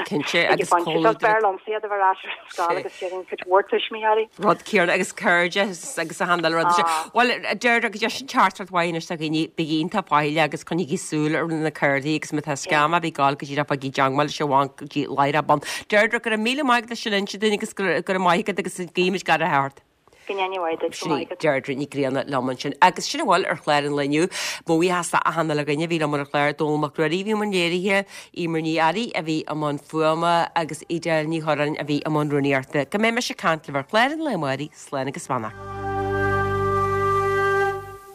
Cinnte agus comhluadar. B'fhearr liomsa iad a bheith ar ais ar an scoil agus déarfainn cuid mhór tuismitheoirí. Rud céanna agus cairde agus a handle rud. Bhuel, Deirdre, go deis an teachtaireacht mhaith anois do dhaoine, bígí iontach faichilleach agus coinnígí súil ar na cártaí agus má tá scam ar bith ag gabháil go díreach bígí i dteangmháil leis an bhanc go dtí láithreach bonn. Deirdre, go raibh míle maith agat as sin a inse dúinn agus go raibh maith agat agus guímid gach rath ort. Go ndéana Dia duit, go Sin í maith agat. Deirdre Ní Ghrianna liom ansin. Agus sin a bhfuil ar chlár an lae inniu. Mo bhuíochas le achan uile dhuine a bhí liom ar an chlár, Dónall Mac Ruairí a bhí i mbun léirithe, Eimear Ní Fhearraigh a bhí i mbun fuaime agus Edel Ní Churráin a bhí i mbun rúnaíochta. Go mbeidh mise ag caint libh ar chlár an lae amárach, slán agus beannacht.